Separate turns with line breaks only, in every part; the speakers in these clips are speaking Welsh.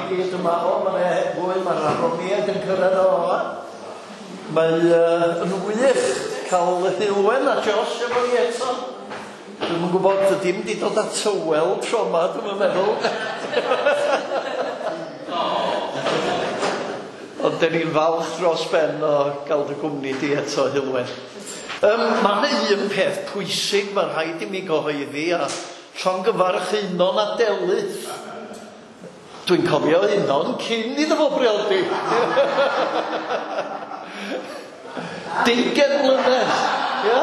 gyd yma. O, mae 'na fwy, mae'r Aroniaid yn cyrraedd o yma. Mae yn wych cael Heulwen a Josh efo ni eto. Dwi'm yn gwybod, dim di dod at tywel tro yma, dwi'm yn meddwl. Ond dyn ni'n falch dros ben o gael dy gwmni di eto, Heulwen. Mae yna un peth pwysig mae rhaid i mi gyhoeddi a llongyfarch Einon a Delyth. Dwi'n cofio Einon cyn iddo fo briodi. 20 mlynedd, ia?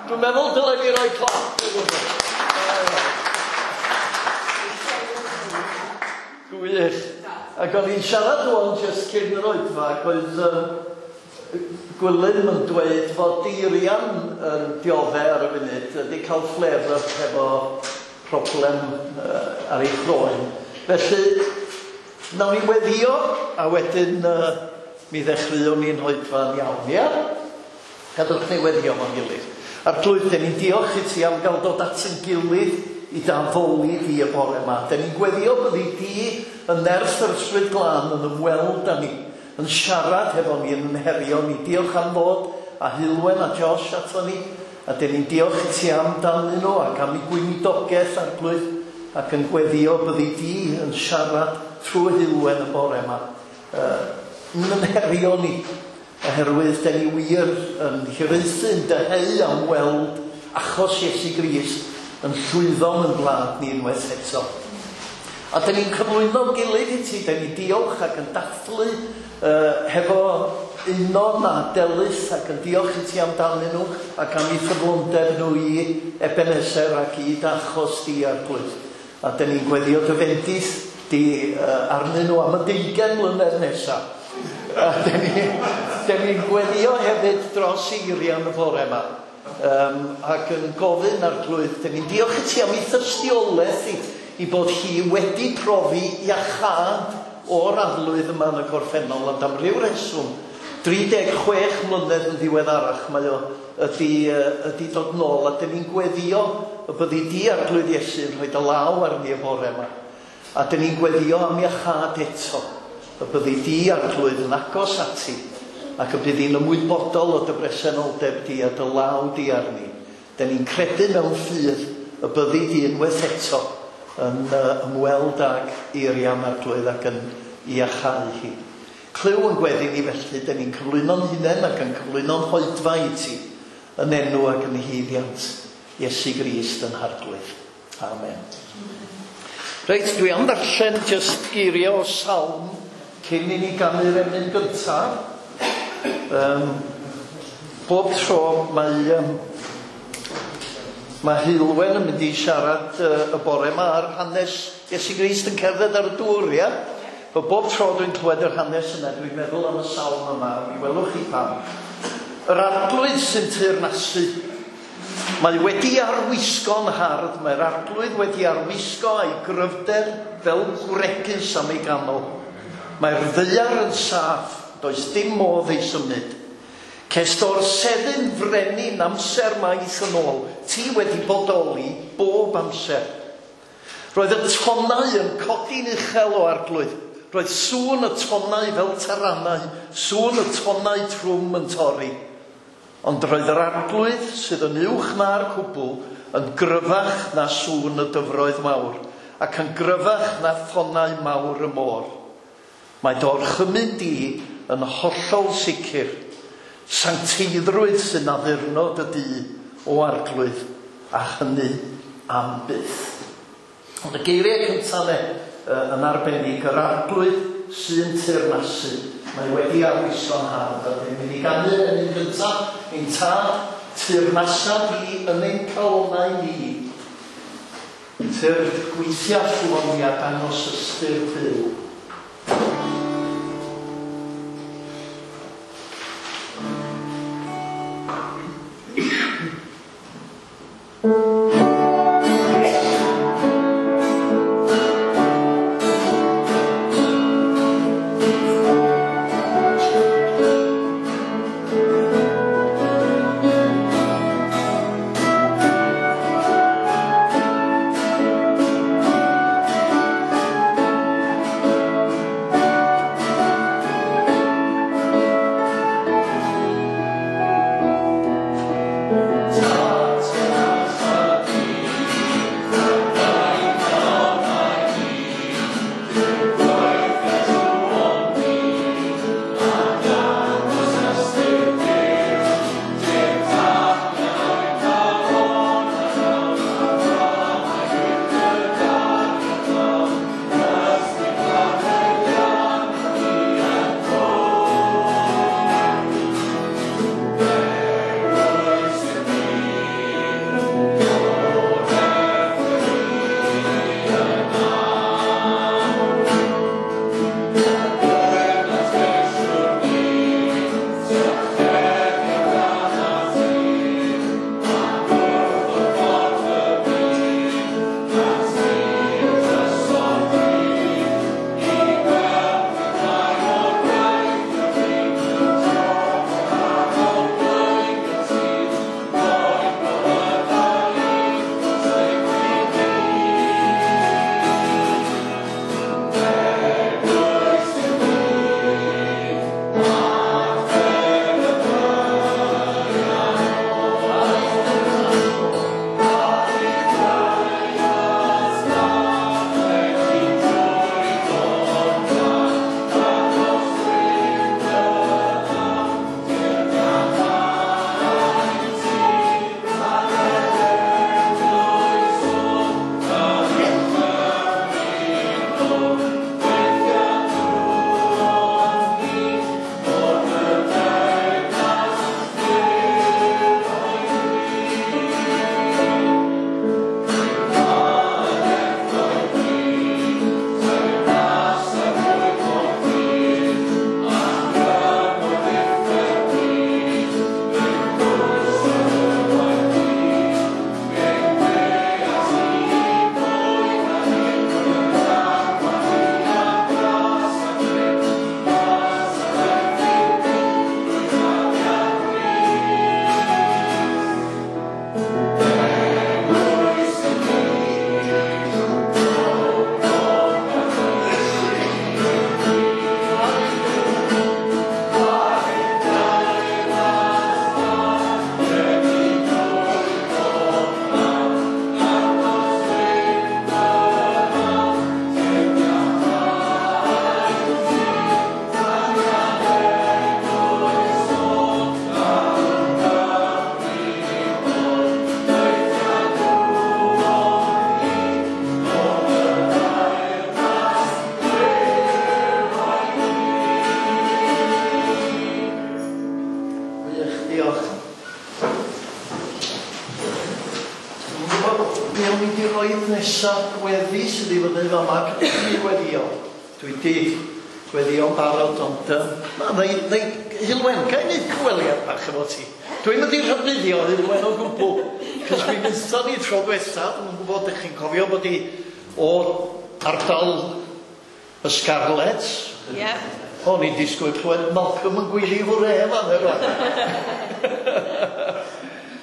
Dwi'n meddwl dylen ni roi clap iddyn nhw. Gwych. Ac o'n i'n siarad rŵan jyst cyn yr oedfa ac oedd Gwilym yn dweud fod Eirian yn diodde ar y funud, wedi cael flare-up hefo problem ar ei chroen. Felly, nawn ni weddio a wedyn mi ddechreuwn ni'n hoedfa'n iawn, ia? Gadwch ni weddio fo'n gilydd. Arglwydd, dyn ni'n diolch i ti am gael dod at ein gilydd i d'addoli di y bore yma. Dyn ni'n gweddio byddi di yn nerth yr Ysbryd Glân yn ymweld â ni, yn siarad hefo ni, yn herio ni. Diolch am ddod a Heulwen a Josh ato ni, a dyn ni'n diolch i ti am danyn nhw ac am eu gweinidogaeth, Arglwydd, ac yn gweddio byddi di yn siarad trwy Heulwen y bore yma. Yn herio ni, oherwydd dyn ni wir yn hiraethu, yn dyheu am weld achos Iesu Grist yn llwyddo yn gwlad ni unwaith eto. A dyn ni'n cyflwyno'n gilydd i ti, dyn ni'n diolch ac yn dathlu hefo Einon a Delyth ac yn diolch i ti amdanyn nhw ac am eu ffyddlondeb nhw i Ebenezer ac i d'achos di, Arglwydd. A dyn ni'n gweddio dy fendith di arnyn nhw am y 20 mlynedd nesaf. A dyn ni'n gweddio hefyd dros Eirian y bore yma. Ac yn gofyn, Arglwydd, dyn ni'n diolch i ti am ei thystiolaeth i bod hi wedi profi iachâd o'r arlwydd yma yn y gorffennol, ond am ryw reswm, 36 mlynedd yn ddiweddarach mae o ydi dod nôl, a dyn ni'n gweddio y byddi di, Arglwydd Iesu, yn rhoi dy law arni y bore yma. A dyn ni'n gweddio am iachâd eto, y byddi di, Arglwydd, yn agos ati, ac y bydd hi'n ymwybodol o dy bresenoldeb di a dy law di arni. Dyn ni'n credu mewn ffydd y byddi di unwaith eto yn ymweld ag Eirian, Arglwydd, ac yn iachau hi. Clyw yn gweddi ni felly, dyn ni'n cyflwyno'n hunain ac yn cyflwyno'n hoedfa i ti, yn enw ac yn haeddiant Iesu Grist yn Harglwydd. Amen. Reit, dwi am ddarllen jyst geiriau o salm cyn i ni ganu'r emyn gyntaf. Bob tro mae Heulwen yn mynd i siarad y bore yma ar hanes Iesu Grist yn cerdded ar y dŵr, ia? Bo bob tro dwi'n clywed yr hanes yna, dwi'n meddwl am y salm yma, mi welwch chi pam. Yr Arglwydd sy'n teyrnasu. Mae wedi arwisgo'n hardd, mae'r Arglwydd wedi arwisgo a'i gryfder fel gwregys am ei ganol. Mae'r ddaear yn saff, does dim modd ei symud. Cest o'r seddyn frenin amser maith yn ôl, ti wedi bodoli bob amser. Roedd y tonnau yn codi'n uchel o Arglwydd. Roedd sŵn y tonnau fel taranau, sŵn y tonnau trwm yn torri. Ond roedd yr Arglwydd sydd yn uwch na'r cwbl yn gryfach na sŵn y dyfroedd mawr, ac yn gryfach na thonnau mawr y môr. Mae dy orchymyn di yn hollol sicr. Sancteiddrwydd sy'n addurno dy dŷ o Arglwydd, a hynny am byth. Ond y geiriau cyntaf ne, yn arbennig, yr Arglwydd sy'n teyrnasu. Mae wedi arwisgo'n hardd. A dyn ni'n mynd i ganu'r emyn gyntaf, ein tad, teyrnasa di yn ein calonnau ni. Tyrd gweithia llwon ni a dangos ystyr byw. Diolch. Dwi'm yn gwybod be o'n i 'di roid nesa gweddi sydd i fyny fama cyn i weddio. Dwi 'di gweddio'n barod ond yym na nai nai Heulwen ga i neud cyfweliad bach efo ti? Dwi'm mynd i rhybuddio Heulwen o gwbl cos mi wnaethon ni tro dwetha, dwi'm yn gwybod dych chi'n cofio bod hi o ardal y Scarlets.
Ie.
O'n i'n disgwyl clywed Malcolm yn gweiddi hwre fan hyn rwan.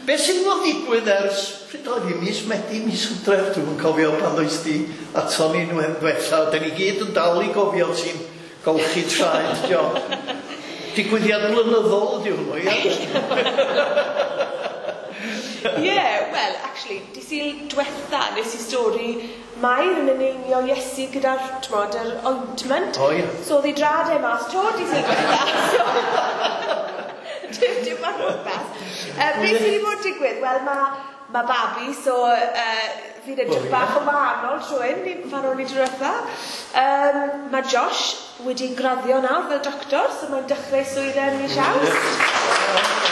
Be sydd wedi bod yn digwydd ers, pryd oedd hi, mis Medi, mis Hydref, dwi'm yn cofio pan ddois di aton ni nwe- dwetha, da ni gyd yn dal i gofio ti'n golchi traed, John. Digwyddiad blynyddol ydi hwnnw, ia?
Ie, wel, actually, di Sul dwetha nes i stori Mair yn eneinio Iesu gyda'r, t'mod, yr ointment.
O ie.
So oedd ei drad e mas 'to di Sul dwetha. So, dim, dim ar rhywbeth. Beth sydd wedi bod yn digwydd? Wel, mae ma babi, so fi'n edrych bach yn wahanol tro hyn, pan o'n i tro dwetha. Mae Josh wedi graddio nawr fel doctor, so mae'n dechrau swydd e yn mis Awst.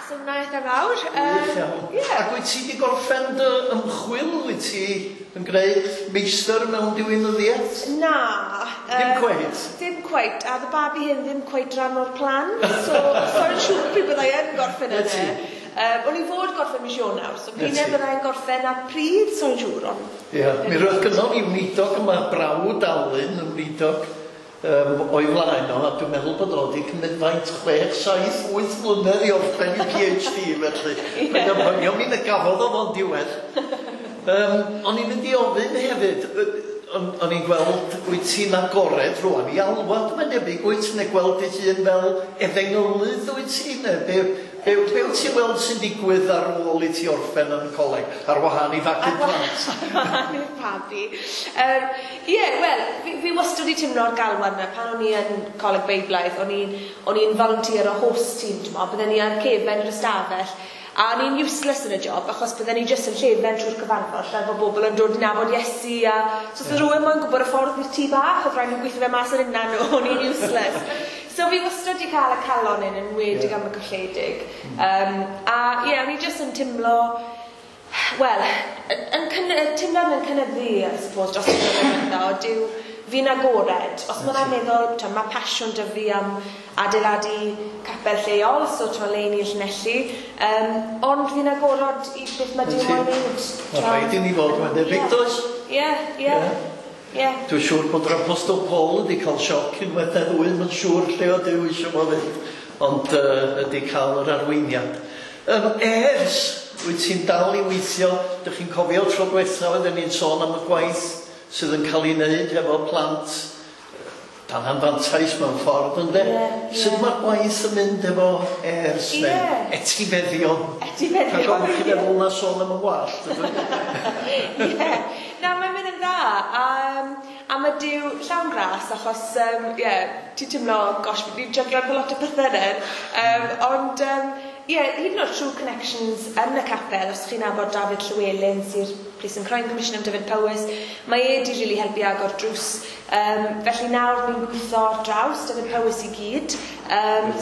So hwnna eitha fawr.
Wych iawn.
Yeah.
Ac wyt ti wedi gorffen dy ymchwil? Wyt ti yn gwneud meistr mewn diwinyddiaeth?
Na.
Dim cweit?
Dim cweit. A oedd y babi hyn ddim cweit rhan o'r plan. So, so'n siŵr pryd byddai yn gorffen
Na
yna.
ti.
O'n i fod gorffen mis Ionawr, so
Na
pryd
ti.
byddai'n gorffen a pryd, so'n siŵr, ond...
Ie, mi roedd gynnon ni weinidog yma, brawd Alun yn weinidog o'i flaen o, a dwi'n meddwl bod o wedi cymryd faint 6, 7, 8 mlynedd i orffen i PhD, felly. Mae'n ymhonio mi na gafodd o fo'n diwedd. O'n i'n mynd i ofyn hefyd, o'n i'n gweld wyt ti'n agored rwan i alwad, mae'n debyg, wyt ti'n gweld dy hun fel efengylydd wyt ti, neu be, be, be wyt ti'n weld sy'n digwydd ar ôl i ti orffen yn y coleg, ar wahân i fagu plant?
Ar wahân i'r babi. Ie, wel, fi wastad wedi teimlo'r galwad yna. Pan o'n i yn Coleg Beiblaidd, o'n i'n volunteer o host team, ti'n mo, bydden ni ar cefen yr ystafell, a o'n i'n useless yn y job, achos bydden ni jyst yn llefen trwy'r cyfarfod, lle bod bobl yn dod i nabod Iesu, a so os oedd rhywun moyn gwybod y ffordd i'r tŷ bach, oedd rhaid nhw gweithio fe mas ar hunan nhw, o'n i'n useless. So fi wastad wedi cael y calon hyn yn enwedig am y colledig. A ie, o'n i jyst yn teimlo, wel, yn teimlo'n yn cynyddu, I suppose, dros y blynyddoedd o dyw fi'n agored. Os ma' hwnna'n meddwl, t'mo, ma' pasiwn 'da fi am adeiladu capel lleol, so t'mo, le i ni Llanelli, ond fi'n agorod i beth ma' Duw moyn neud.
Ma' rhaid i ni fod, mae'n debyg, does?
Ie, ie. Ie.
Dwi'n siŵr bod yr Apostol Paul wedi cael sioc unwaith neu ddwy, mae'n siŵr lle o Duw eisiau fo fynd, ond ydi cael yr arweiniad. Ers, wyt ti'n dal i weithio, dych chi'n cofio tro diwetha oedden ni'n sôn am y gwaith sydd yn cael ei wneud efo plant dan anfantais mewn ffordd, ynde?
Ie, ie.
Sut mae'r gwaith yn mynd efo ers neu etifeddion?
Etifeddion,
Rhag ofn i chi
ie.
feddwl na sôn am y wallt, ydw i?
Ie. Na, mae'n mynd yn dda. A mae Duw llawn gras, achos, ie, ti'n teimlo, gosh, fi'n jyglo efo lot o pethau nawr. Ond, ie, hyd yn oed trwy connections yn y capel, os chi'n nabod Dafydd Llywelyn, sy'r Police and Crime Commissioner am Dyfed Powys, mae e di really helpu agor drws. Felly nawr ni'n gweithio ar draws Dyfed Powys i gyd,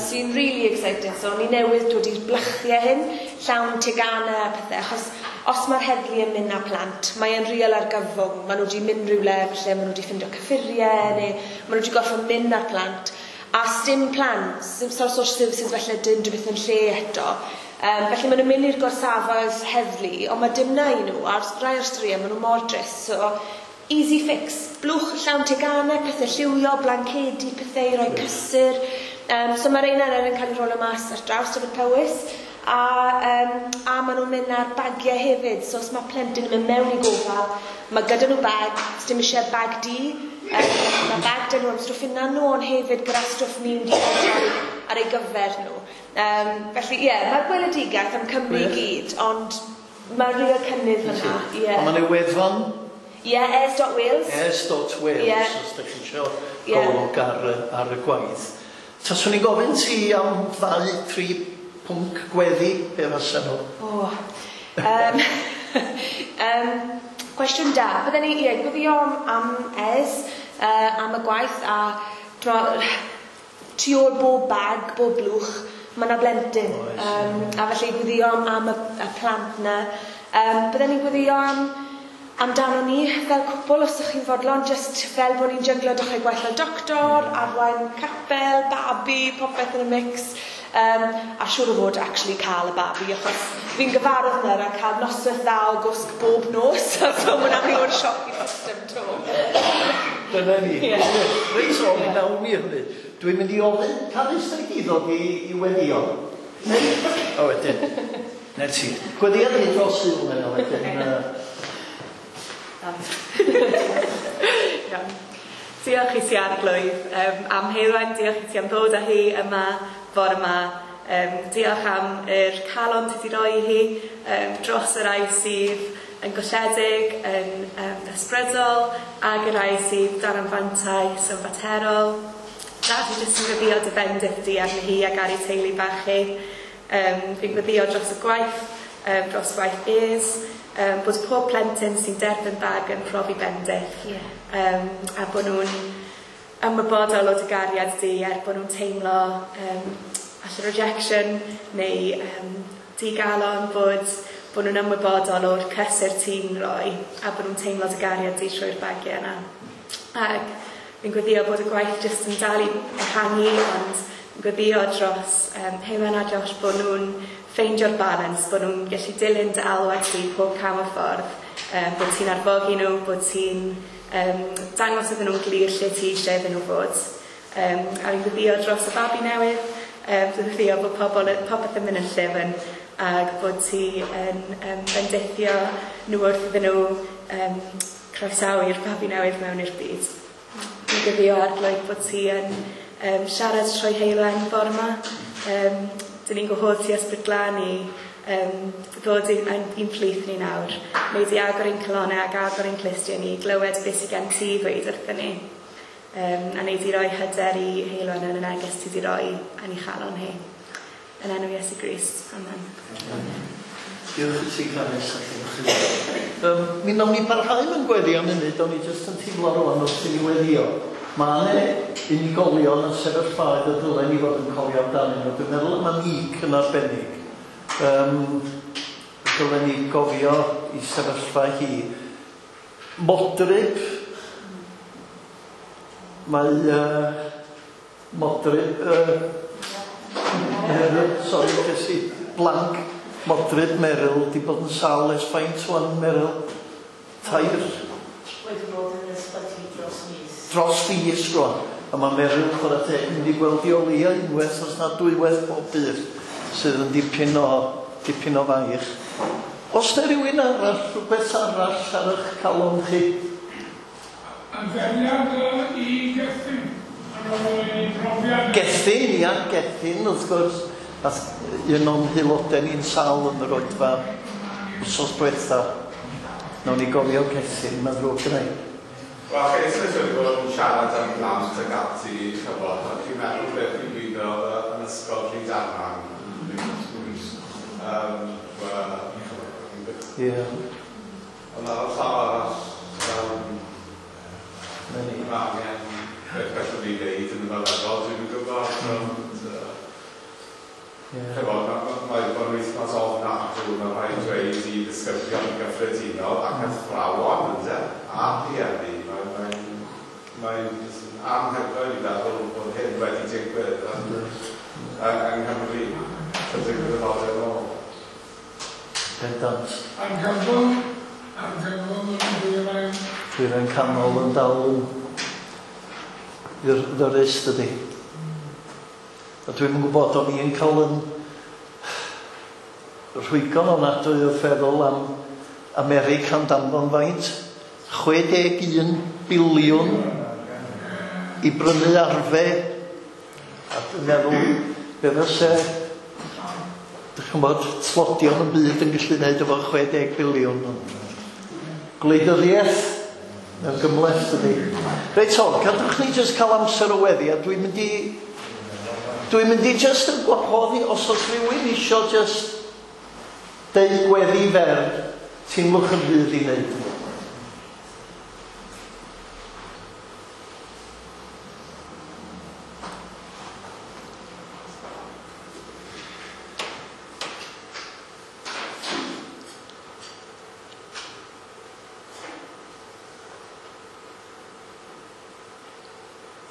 sy'n really exciting. So ni newydd dod i'r blychiau hyn, llawn teganau a pethau, achos os mae'r heddlu yn mynd â plant, mae e'n real argyfwng. Maen nhw wedi mynd rhywle, falle maen nhw wedi ffindo cyffuriau, neu maen nhw wedi gorfod mynd â'r plant. A sdim plans, sim social services falle dim rhywbeth yn lle eto. Felly maen nhw'n mynd i'r gorsafoedd heddlu, ond mae dim na i nhw, a rai o'r straeon, maen nhw mor drist. So, easy fix, blwch llawn teganau, pethau lliwio, blancedi, pethau i roi cysur. So mae'r ein yn cael ei rolo mas ar draws Dyfed Powys, a maen nhw'n mynd ar bagiau hefyd. So os mae plentyn yn mynd mewn i gofal, mae gyda nhw bag, sdim eisiau bag du, mae bag dyn nhw am stwff yna nhw, ond hefyd gyda stwff ni'n di ar ei gyfer nhw. Felly ie, mae'r gweledigaeth am Cymru i gyd, ond mae real cynnydd fyna. Ie.
A mae'n ei wefan?
Ie, airs.wales.
Airs.wales, os ydych chi isio golwg ar y gwaith. Taswn i'n gofyn ti am 2, 3 pwnc gweddi, be fysa nhw?
O, cwestiwn da. Bydden ni, ie, gweddio am ES, am y gwaith, a tu ôl bob bag, bob blwch, mae yna blentyn. A felly gweddio am y plant na. Bydden ni'n gweddio amdano ni fel cwpl, os ydych chi'n fodlon, just fel bod ni'n jyglo dechrau gwaith fel doctor, arwain capel, babi, popeth yn y mix. A siŵr o fod actually cael y babi, achos fi'n gyfarwydd nawr a cael noswaith dda o gwsg bob nos, so mae hwnna'n rhyw o'r sioc i'r system to.
Dyna ni. Reit so, mi nawn ni hynny. Dwi'n mynd i ofyn Carys na i ddod i weddio. O wedyn. Na ti. Gweddio ni dros Sul yna wedyn.
Iawn. Diolch i ti Arglwydd am Heulwen, diolch i ti am ddod â hi yma fore yma. Diolch am yr calon ti wedi roi i hi dros y rai sydd yn golledig, yn ysbrydol, ac y rai sydd dan anfantais yn faterol. Da, fi jyst yn gweddio dy fendith di arni hi ac ar ei teulu bach hi. Fi'n gweddio dros y gwaith, dros gwaith Ears, bod pob plentyn sy'n derbyn bag yn profi bendith. A bod nhw'n ymwybodol o dy gariad di, er bod nhw'n teimlo falle rejection neu digalon, bod nhw'n ymwybodol o'r cysur ti'n rhoi a bod nhw'n teimlo dy gariad di trwy'r bagiau yna. Ac fi'n gweddio bod y gwaith jyst yn dal i ehangu, ond fi'n gweddio dros Heulwen a Josh bod nhw'n ffeindio'r balance, bod nhw'n gallu dilyn dy alwad di pob cam o'r ffordd, bod ti'n arfogi nhw, bod ti'n dangos iddyn nhw'n glir lle ti eisiau iddyn nhw fod. A fi'n gweddio dros y babi newydd, fi'n gweddio bod popeth yn mynd yn llyfn ac bod ti yn bendithio nhw wrth iddyn nhw croesawu'r babi newydd mewn i'r byd. Fi'n gweddio Arglwydd bod ti yn siarad trwy Heulwen fore yma. Dyn ni'n gwahodd ti Ysbryd Glân i ddod i'n plith ni nawr. Wneud i agor ein calonnau ac agor ein clustiau ni, glywed beth sydd gen ti ddweud wrthyn ni. A wneud i roi hyder i Heulwen yn y neges ti wedi roi yn ei chalon hi. Yn enw Iesu Grist. Amen.
Diolch i ti, Carys. Mi nawn ni barhau mewn gweddi am munud, o'n i jyst yn teimlo rwan wrth i ni weddio. Mae yna unigolion yn sefyllfaoedd y dylen ni fod yn cofio amdanyn nhw. Dwi'n meddwl am Nick yn arbennig. Dylen ni gofio i sefyllfa hi. Modryb, mae Modryb, Meryl, sori, ges i blank. Modryb Meryl, di bod yn sâl ers faint wan, Meryl? Tair?
Wedi bod yn ysbyty dros mis.
Dros fis rwan. A mae Meryl, chwarae teg, mynd i gweld i o leia unwaith, os na dwywaith bob dydd, sydd yn dipyn o faich. Os na rhywun arall, rhywbeth arall ar eich calon chi?
Adferiad i Gethin.
Gethin, ia, Gethin, wrth gwrs. Nath un o'n haelodau ni'n sâl yn yr oedfa wsos diwetha. Nawn ni gofio Gethin, mae'n ddrwg gyda i.
Wel, chi eisoes wedi bod yn siarad am blant ac ati, chybod, a chi'n meddwl beth i'n gwybod yn ysgol Rhydaman.
Ie.
Ond ar y llaw arall, mae angen beth gallwn ni wneud yn y feddygol, dwi'n gwybod. Chybod, mae bod yn wythnos ofnadwy, mae rhaid dweud i ddisgyblion yn gyffredinol ac athrawon, ynde, a rhieni. Mae'n anhygoel i feddwl bod hyn wedi digwydd yng Nghymru chydig blynyddoedd yn ôl.
Pendant.
Argyfwng yn dwyrain.
Dwyrain canol yn dal yn ddyrus, dydy. A dwi'm yn gwybod, o'n i'n cael yn rhwygo'n ofnadwy o feddwl am America'n danfon faint. 61 biliwn i brynu arfe. A dwi'n meddwl, be fyse, dych chi'n gwybod, tlodion y byd yn gallu gwneud efo 60 biliwn. Gwleidyddiaeth, mae'n gymhleth dydy. Reit o, cadwch ni jyst cael amser o weddi, a dwi'n mynd i jyst yn gwahodd i, os oes rhywun isio jyst deud gweddi fer, teimlwch yn rhydd i wneud.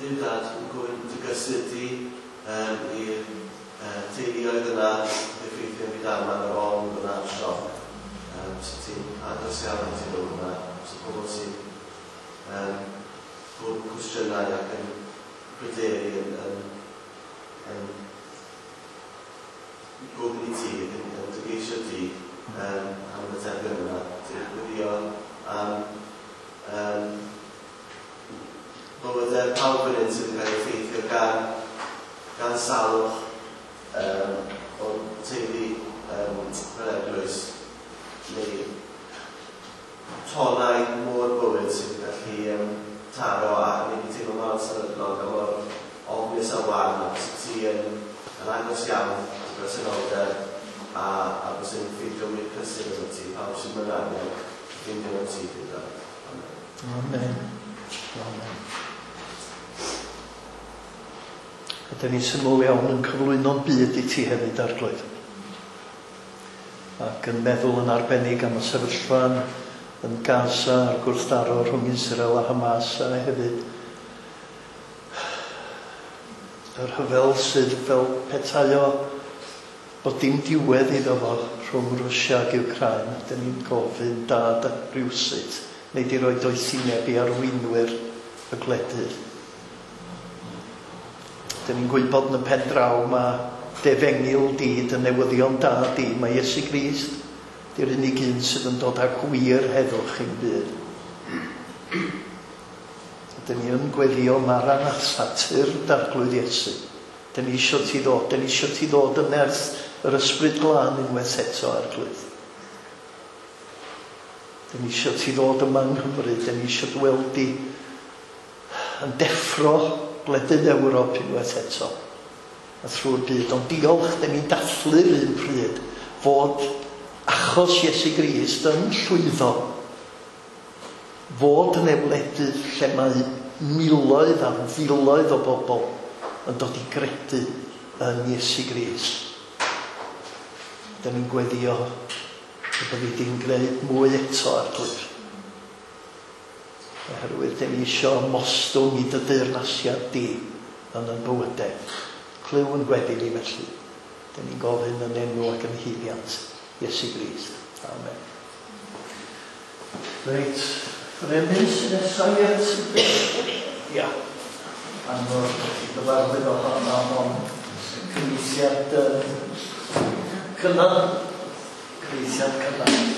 Duw Dad, yn gofyn dy gysur di i'r teuluoedd yna effeithio byd arma yr ofn yna, a'r sioc. So ti'n agos iawn at nhw yna, so pobl sy'n bod yn cwestiynau ac yn pryderu yn gofyn i ti ac yn dygeisio ti am y materion yna. Ti'n gwylio am bywydau pawb yn un sydd yn cael ei effeithio gan salwch o'r teulu fel eglwys neu tonau môr bywyd sydd yn gallu taro a wneud i teimlo mor sefydlog a mor ofnus a wan, a bys ti yn agos iawn at bresenoldeb a bys yn ffeindio wir cysur yn ti, pawb sy'n mynd angen ffeindio yn ti gyda.
Amen. Amen. A dyn ni'n syml iawn yn cyflwyno'n byd i ti hefyd, Arglwydd. Ac yn meddwl yn arbennig am y sefyllfa yn Gaza a'r gwrthdaro rhwng Israel a Hamas, a hefyd yr rhyfel sydd fel petai o bod dim diwedd iddo fo rhwng Rwsia ac Ukraine. Dyn ni'n gofyn Dad rywsut neu di roi doethineb i arweinwyr y gwledydd. Dyn ni'n gwybod yn y pen draw mae defengyl di, dy newyddion da di, mae Iesu Grist di'r unig un sydd yn dod â gwir heddwch i'n byd. Dyn ni yn gweddio Maranatha, tyrd Arglwydd Iesu. Dyn ni isio ti ddod, dyn ni isio ti ddod yn nerth yr Ysbryd Glân unwaith eto, Arglwydd. Dyn ni isio ti ddod yma yng Nghymru, dyn ni isio gweld di yn deffro gwledydd Ewrop unwaith eto a thrwy'r byd. Ond diolch, dyn ni'n dathlu'r un pryd fod achos Iesu Grist yn llwyddo, fod yn wledydd lle mae miloedd a filoedd o bobl yn dod i gredu yn Iesu Grist. Dyn ni'n gweddio y byddi di'n gwneud mwy eto, Arglwydd. Oherwydd dyn ni isio mostwng i dy deyrnasiad di yn yn bywydau. Clyw yn gweddi ni felly. Dyn ni'n gofyn yn enw ac yn haeddiant Iesu Grist. Amen. Reit, yr emyn sydd nesaf i Ia. Anodd gyfarwydd ohono ond cyfieithiad cynnar. Cyfieithiad cynnar.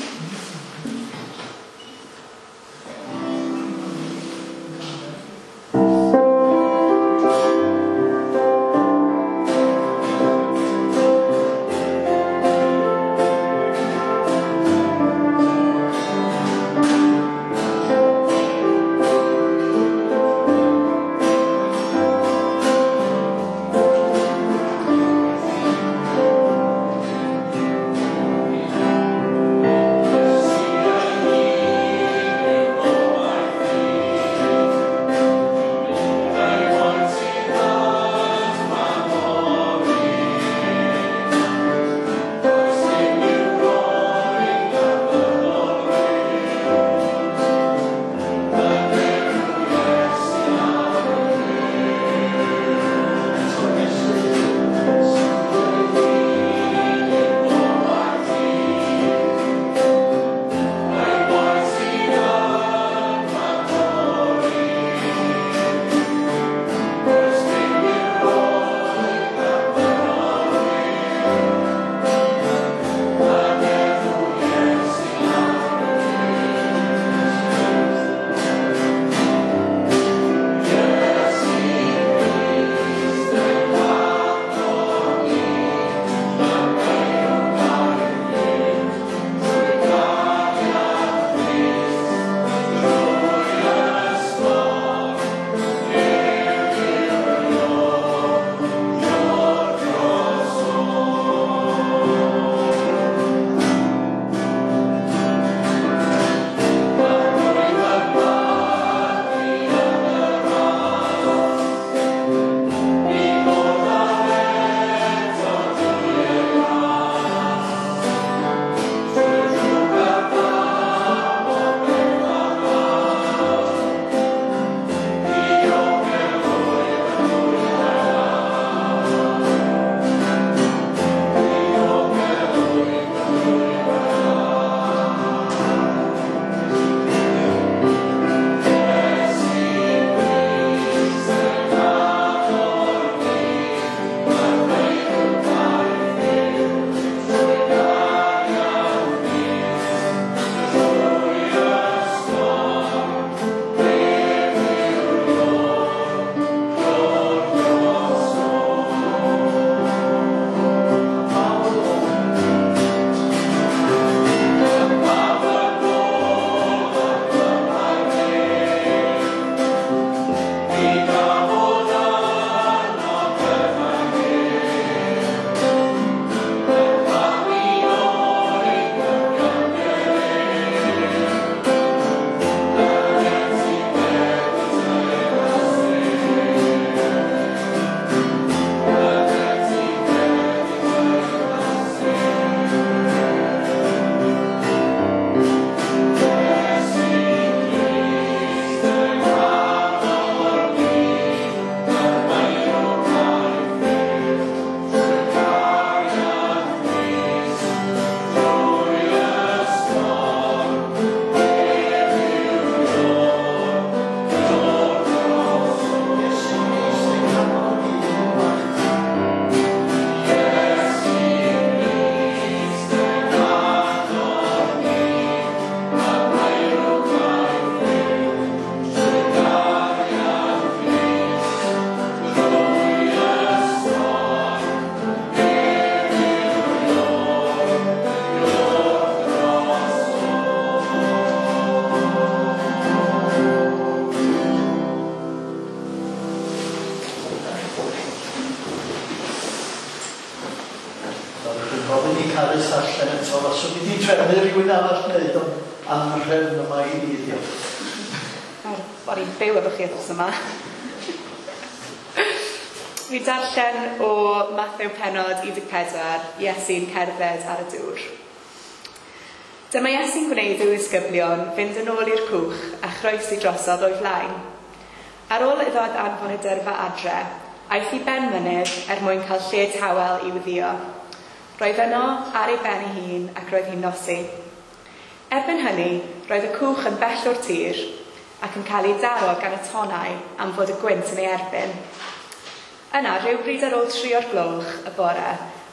Gofyn i Carys allan eto, faswn i wedi trefnu rhywun arall wneud, ond anhrefn yma i ni, diolch.
O'n i'n byw efo chi wythnos yma. Fi darllen o Mathew pennod 14, Iesu'n cerdded ar y dŵr. Dyma Iesu'n gwneud i'w ddisgyblion fynd yn ôl i'r cwch a chroesi drosodd o'i flaen. Ar ôl iddo anfon y dyrfa adre, aeth i ben mynydd er mwyn cael lle tawel i weddïo. Roedd yno ar ei ben ei hun ac roedd hi'n nosi. Erbyn hynny, roedd y cwch yn bell o'r tir ac yn cael ei daro gan y tonnau am fod y gwynt yn ei erbyn. Yna, rhywbryd ar ôl 3 o'r gloch y bore,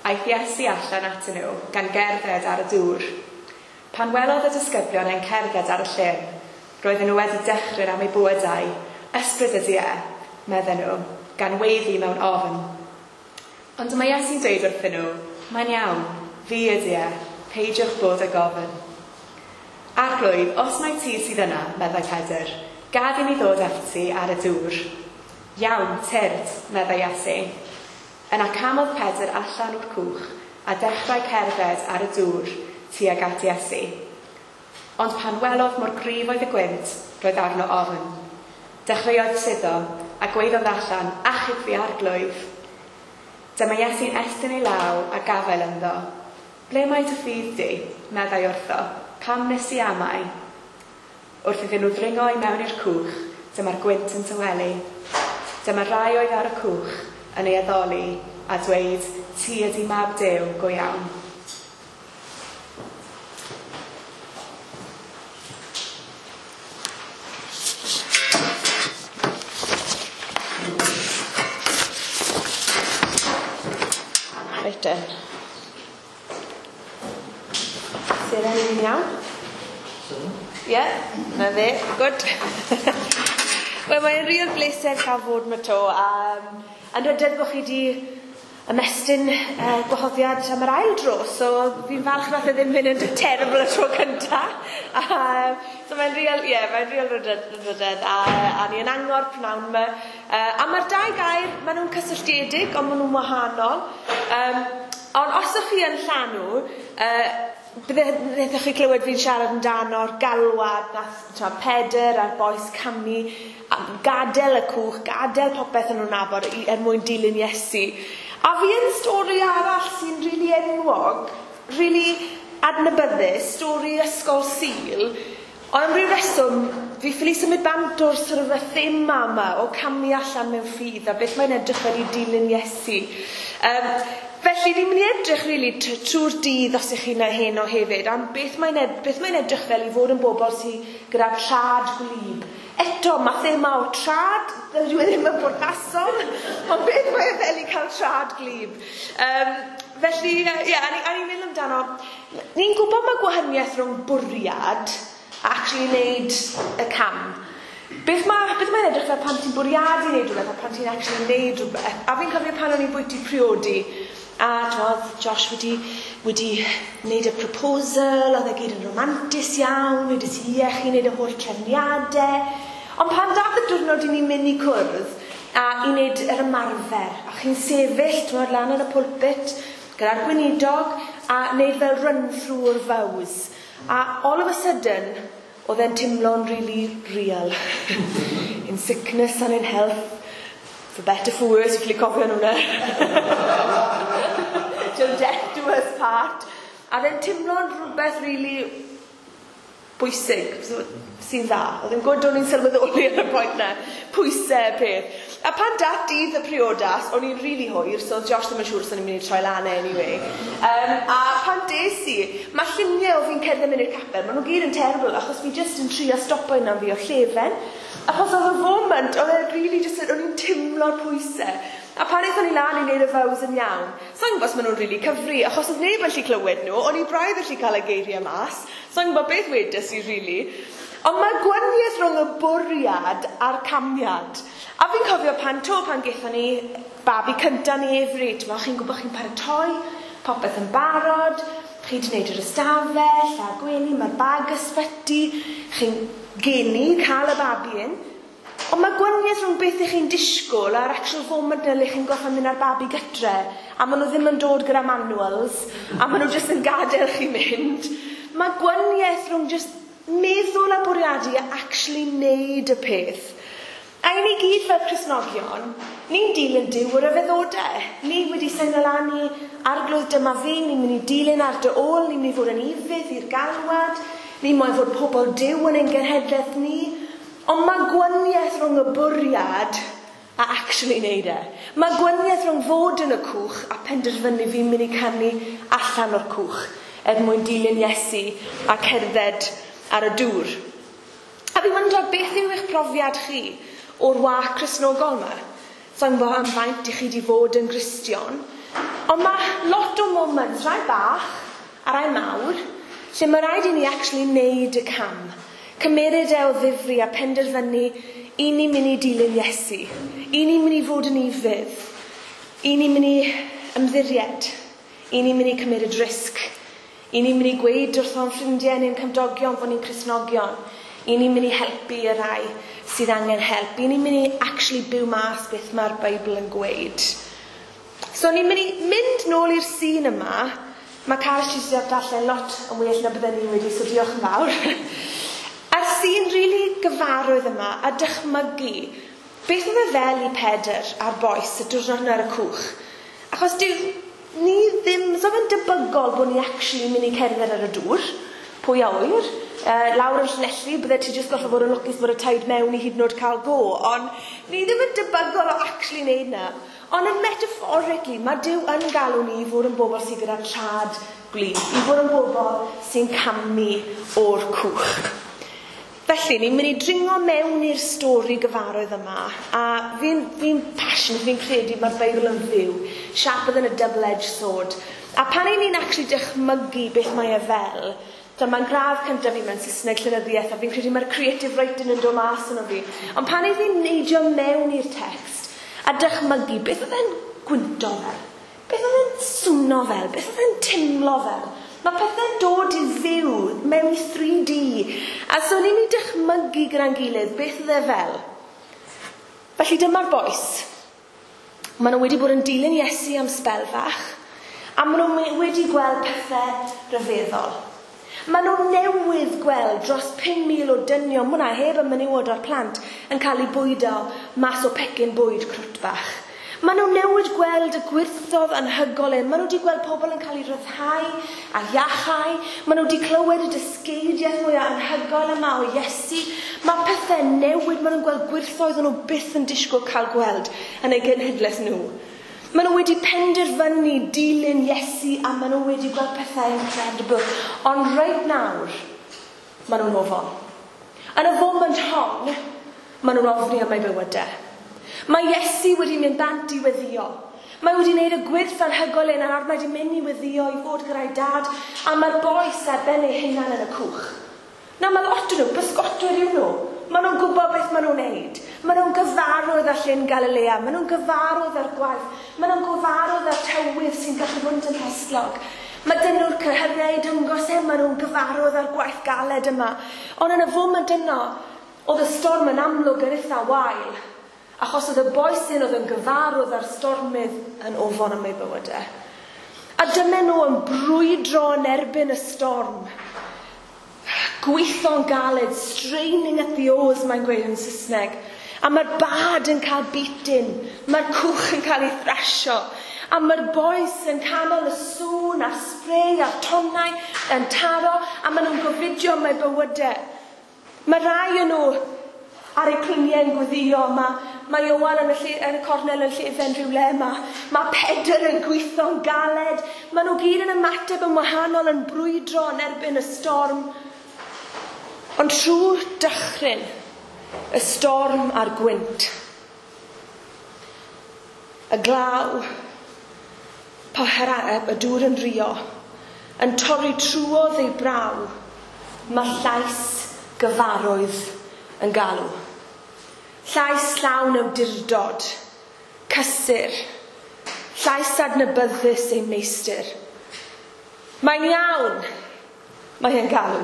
aeth Iesu allan atyn nhw gan gerdded ar y dŵr. Pan welodd y disgyblion e'n cerdded ar y llyn, roedden nhw wedi dechrau am eu bywydau. Ysbryd ydy e, medden nhw, gan weiddi mewn ofn. Ond dyma Iesu'n dweud wrthyn nhw, mae'n iawn, fi ydy e, peidiwch bod ag ofn. Arglwydd, os mai ti sydd yna, meddai Pedr, gad i mi ddod at ti ar y dŵr. Iawn, tyrd, meddai Iesu. Yna camodd Pedr allan o'r cwch a dechrau cerdded ar y dŵr tuag at Iesu. Ond pan welodd mor gryf oedd y gwynt, roedd arno ofn. Dechreuodd suddo a gweiddodd allan, achub fi Arglwydd. Dyma Iesu'n estyn ei law a gafael ynddo. Ble mae dy ffydd di? Meddai wrtho. Pam nes i amau? Wrth iddyn nhw ddringo i mewn i'r cwch, dyma'r gwynt yn tawelu. Dyma rai oedd ar y cwch yn ei addoli a dweud, ti ydy mab Duw go iawn.
Reit den. Seren, ni'n iawn? Ie, na fe, good. Wel, mae'n real bleser cael fod yma to. Yn rydedd bod chi wedi ymestyn gwahoddiad am yr ail dro, so fi'n falch nath e ddim mynd yn terrible y tro cynta. So mae'n real, ie, mae'n real rydedd, a ni yn angor pnawn yma. A mae'r dau gair, maen nhw'n cysylltiedig, ond maen nhw'n wahanol. Ond os ydych chi yn llanw, bydde chi clywed fi'n siarad amdano'r galwad nath Pedr a'r bois camu, gadael y cwch, gadael popeth yn nhw'n nabod er mwyn dilyn Iesu. A fi yn stori arall sy'n rili enwog, rili adnabyddus, stori Ysgol Sul, ond am ryw reswm, fi ffili symud bant o'r sort of y thema yma o camu allan mewn ffydd a beth mae'n edrych fel i dilyn Iesu. Felly ni'n mynd i edrych really trwy'r dydd os ych chi'n heno hefyd am beth mae'n edrych fel i fod yn bobl sydd gyda trad gwlyb. Eto, mae thema o trad, dyw e ddim yn bwrpasol, ond beth mae e fel i cael trad gwlyb. Felly, ie, a ni'n meddwl amdano, ni'n gwybod mae gwahaniaeth rhwng bwriad a actually wneud y cam. Beth mae'n edrych fel pan ti'n bwriadu wneud rhywbeth a pan ti'n actually wneud rhywbeth. A fi'n cofio pan o'n i'n bwyty priodi, a oedd Josh wedi wneud y proposal, oedd e gyd yn romantus iawn, wedi si ie chi'n wneud y holl trefniadau. Ond pan dath y diwrnod i ni'n mynd i cwrdd a i wneud yr ymarfer, a chi'n sefyll, t'mod, lan yn y pulpit gyda'r gweinidog a wneud fel run-through o'r vows. A all of a sudden, oedd e'n teimlo'n really real. In sickness and in health, for better for worse, ffili cofio nhw na. Till death do us part. A fe'n teimlo'n rhywbeth really bwysig, so, sy'n dda. Oedd yn gwrdd o'n i'n sylweddoli ar y pwynt na, pwysau peth. A pan dath dydd y priodas, o'n i'n really hwyr, so Josh ddim yn siŵr os o'n i'n mynd i troi lan anyway. A pan des i, mae lluniau o fi'n cerdded mynd i'r capel, maen nhw gyd yn terrible, achos fi jyst yn trio stopo yna fi o llefen. Achos oedd y foment, oedd e really just, o'n i'n teimlo'r pwysau. A pan aethon ni lan i wneud y vows yn iawn, so i'n gwybod os maen nhw'n really cyfri, achos oedd neb yn gallu clywed nhw, o'n i braidd yn gallu cael y geiriau mas, so i'n gwybod beth wedes i really. Ond mae gwahaniaeth rhwng y bwriad a'r camiad. A fi'n cofio pan gaethon ni babi cynta ni Avery, chi'n gwybod chi'n paratoi, popeth yn barod, chi wedi gwneud yr ystafell a'r gwely, mae'r bag ysbyty, chi'n geni cael y babi yn. Ond mae gwahaniaeth rhwng beth ych chi'n disgwyl a'r actual foment na le chi'n gorfod mynd â'r babi gytre, a maen nhw ddim yn dod gyda manuals, a maen nhw jyst yn gadael chi mynd. Mae gwahaniaeth rhwng jyst meddwl a bwriadu a actually neud y peth. A i ni gyd fel Cristnogion, ni'n dilyn Duw o ryfeddodau. Ni wedi seino lan i Arglwydd dyma fi, ni'n mynd i dilyn ar dy ôl, ni'n mynd i fod yn ufudd i'r galwad, ni'n moyn fod pobl Duw yn ein genhedlaeth ni. Ond mae gwahaniaeth rhwng y bwriad a actually neud e. Mae gwahaniaeth rhwng fod yn y cwch a penderfynu fi'n mynd i camu allan o'r cwch er mwyn dilyn Iesu a cerdded ar y dŵr. A fi wondro beth yw eich profiad chi o'r walk Cristnogol yma. Sa'n gwybod am faint i chi wedi fod yn Gristion, ond mae lot o moments, rai bach a rai mawr, lle mae rhaid i ni actually neud y cam. Cymeryd e o ddifri a penderfynu i ni'n mynd i dilyn Iesu, i ni'n mynd i fod yn ufudd, i ni'n mynd i ymddiried, i ni'n mynd i cymryd risg, i ni'n mynd i gweud wrth o'n ffrindiau neu'n cymdogion fod ni'n Cristnogion, i ni'n mynd i helpu y rai sydd angen help, i ni'n mynd i actually byw mas beth mae'r Beibl yn gweud. So ni'n mynd i mynd nôl i'r sîn yma. Mae Carys ti wedi darllen lot yn well na bydden ni wedi, so diolch yn fawr. A'r sîn rili gyfarwydd yma a dychmygu beth oedd e fel i Pedr a'r bois y diwrnod yna ar y cwch. Achos dyw ni ddim, so fe'n debygol bod ni actually mynd i cerdded ar y dŵr, pwy a ŵyr. Lawr yn Llanelli, bydde ti jyst gorfod fod yn lwcus bod y tide mewn i hyd yn oed cael go, ond ni ddim yn debygol o actually wneud na. Ond yn metaphorically, mae Duw yn galw ni i fod yn bobl sydd gyda trad gwlyb, i fod yn bobl sy'n camu o'r cwch. Felly, ni'n mynd i dringo mewn i'r stori gyfarwydd yma, a fi'n passionate, fi'n credu mae'r Beibl yn fyw, sharper than a double-edged sword. A pan i ni'n actually dychmygu beth mae e fel, dyma'n gradd cyntaf fi mewn Saesneg llenyddiaeth, a fi'n credu mae'r creative writing yn dod mas yno fi. Ond pan i fi'n neidio mewn i'r text, a dychmygu beth oedd e'n gwynto fel, beth oedd e'n swno fel, beth oedd e'n timlo fel. Mae pethau'n dod i fyw mewn i 3D. A so ni'n mynd i dychmygu gyda'n gilydd beth oedd e fel. Felly dyma'r bois. Maen nhw wedi bod yn dilyn Iesu am sbel fach, a maen nhw wedi gweld pethau rhyfeddol. Maen nhw newydd gweld dros 5,000 o dynion, mwna heb y menywod o'r plant, yn cael eu bwydo mas o pecyn bwyd crwt bach. Maen nhw newydd gweld y gwirthodd anhygoel hyn. Maen nhw wedi gweld pobl yn cael eu rhyddhau a iachau. Maen nhw wedi clywed y dysgeidiaeth mwyaf anhygoel yma o Iesu. Mae pethau newid, maen nhw'n gweld gwirthoedd o'n nhw byth yn disgwyl cael gweld yn eu genhedlaeth nhw. Maen nhw wedi penderfynu dilyn Iesu a maen nhw wedi gweld pethau incredible. Ond reit nawr, maen nhw'n ofon. Yn y foment hon, maen nhw'n ofni am eu bywydau. Mae Iesu wedi mynd bant i weddio. Mae wedi gwneud y gwyrth anhygoel hyn a nawr mae wedi mynd i weddio i fod gyda'i dad, a mae'r bois ar ben eu hunan yn y cwch. Na, mae lot o'n nhw, bysgotwyr yw nhw. Maen nhw'n gwybod beth maen nhw'n neud. Maen nhw'n gyfarwydd â Llyn Galilea, maen nhw'n gyfarwydd â'r gwaith, maen nhw'n gyfarwydd â'r tywydd sy'n gallu bod yn hesglog. Mae dyn nhw'r cyhyrau dangos e, maen nhw'n gyfarwydd â'r gwaith galed yma. Ond yn y foment yno, oedd y storm yn amlwg yn eitha wael, achos oedd y bois hyn oedd yn gyfarwydd â'r stormydd yn ofon am eu bywydau. A dyma nhw yn brwydro yn erbyn y storm. Gweithio'n galed, straining at the oars, mae'n gweud yn Saesneg. A mae'r bad yn cael beating, mae'r cwch yn cael ei thrasio, a mae'r bois yn canol y sŵn a'r spray a'r tonnau yn taro, a maen nhw'n gofidio am eu bywydau. Mae rai o'n nhw ar eu cluniau yn gweddio, mae Ioan yn y cornel yn llefen rhywle yma. Mae Pedr yn gweithio'n galed. Maen nhw gyd yn ymateb yn wahanol yn brwydro yn erbyn y storm. Ond trwy'r dychryn, y storm a'r gwynt, y glaw, y dŵr yn rio, yn torri trwodd ei braw, mae llais gyfarwydd yn galw. Llais llawn awdurdod, cysur, llais adnabyddus ei meistr. Mae'n iawn, mae e'n galw.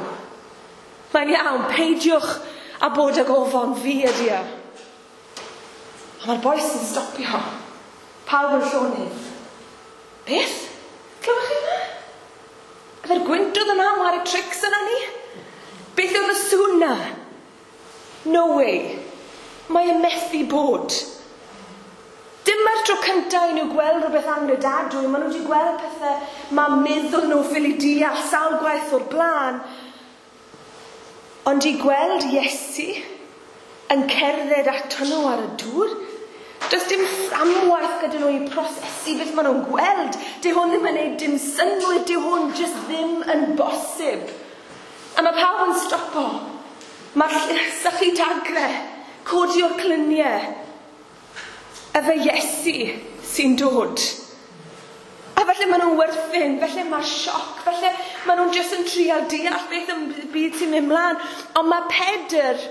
Mae'n iawn, peidiwch a bod ag ofon, fi ydi e.
A mae'r bois yn stopio. Pawb yn llonydd. Beth? Clywch chi hwnna? Yfe'r gwynt oedd yna, yn ware tricks yna ni? Beth oedd y sŵn na? No way. Mae e methu bod. Dyma'r tro cyntaf i nhw gweld rhywbeth anghredadwy. Maen nhw wedi gweld pethau mae meddwl nhw ffili deall sawl gwaith o'r blaen. Ond i gweld Iesu yn cerdded ato nhw ar y dŵr, does dim fframwaith gyda nhw i prosesu beth maen nhw'n gweld. Dyw hwn ddim yn gwneud dim synnwyr, dyw hwn jyst ddim yn bosib. A mae pawb yn stopo. Mae'r sychu dagre, codi o'r cluniau. Efe Iesu sy'n dod. A falle maen nhw'n werthin, falle mae'r sioc, falle maen nhw'n jyst yn trial deall beth yn byd sy'n mynd mlaen. Ond mae Pedr,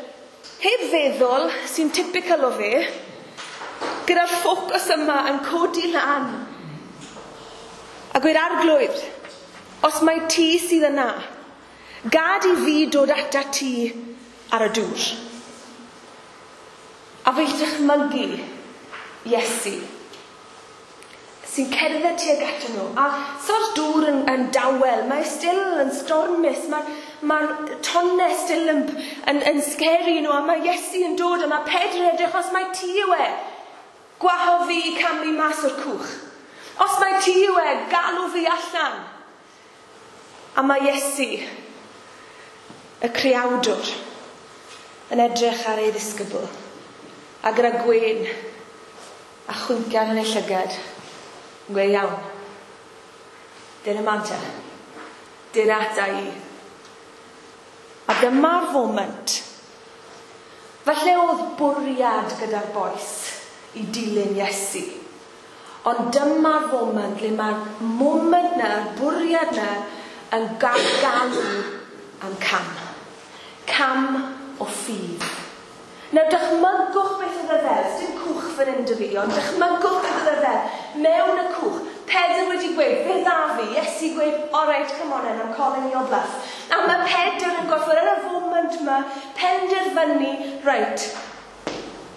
heb feddwl, sy'n typical o fe, gyda'r ffocws yma yn codi lan. A gweud, Arglwydd, os mae ti sydd yna, gad i fi dod ata ti ar y dŵr. A fe dychmygu Iesu, sy'n cerdded tuag ato nhw. A so'r dŵr yn dawel, mae still yn stormus, mae'r tonnau still yn scary nhw, a mae Iesu yn dod, a mae Pedr yn edrych, os mae ti yw e, gwahodd fi i camu mas o'r cwch. Os mae ti yw e, galw fi allan. A mae Iesu, y creawdwr, yn edrych ar ei ddisgybl, a gyda gwên a chwincian yn ei llygad, yn gweud, iawn, dyna manta, dyna ata i. A dyma'r foment. Falle oedd bwriad gyda'r bois i dilyn Iesu. Ond dyma'r foment le mae'r moment na, yr bwriad na, yn galw am cam. Cam o ffydd. Nawr dychmygwch beth oedd e fel, dim cwch fan hyn 'da fi, ond dychmygwch beth oedd e fel, mewn y cwch. Pedr wedi gweud, fe dda fi, Iesu gweud, all right, come on then, I'm calling your bluff. A mae Pedr yn gorfod yn y foment yma, penderfynu, right,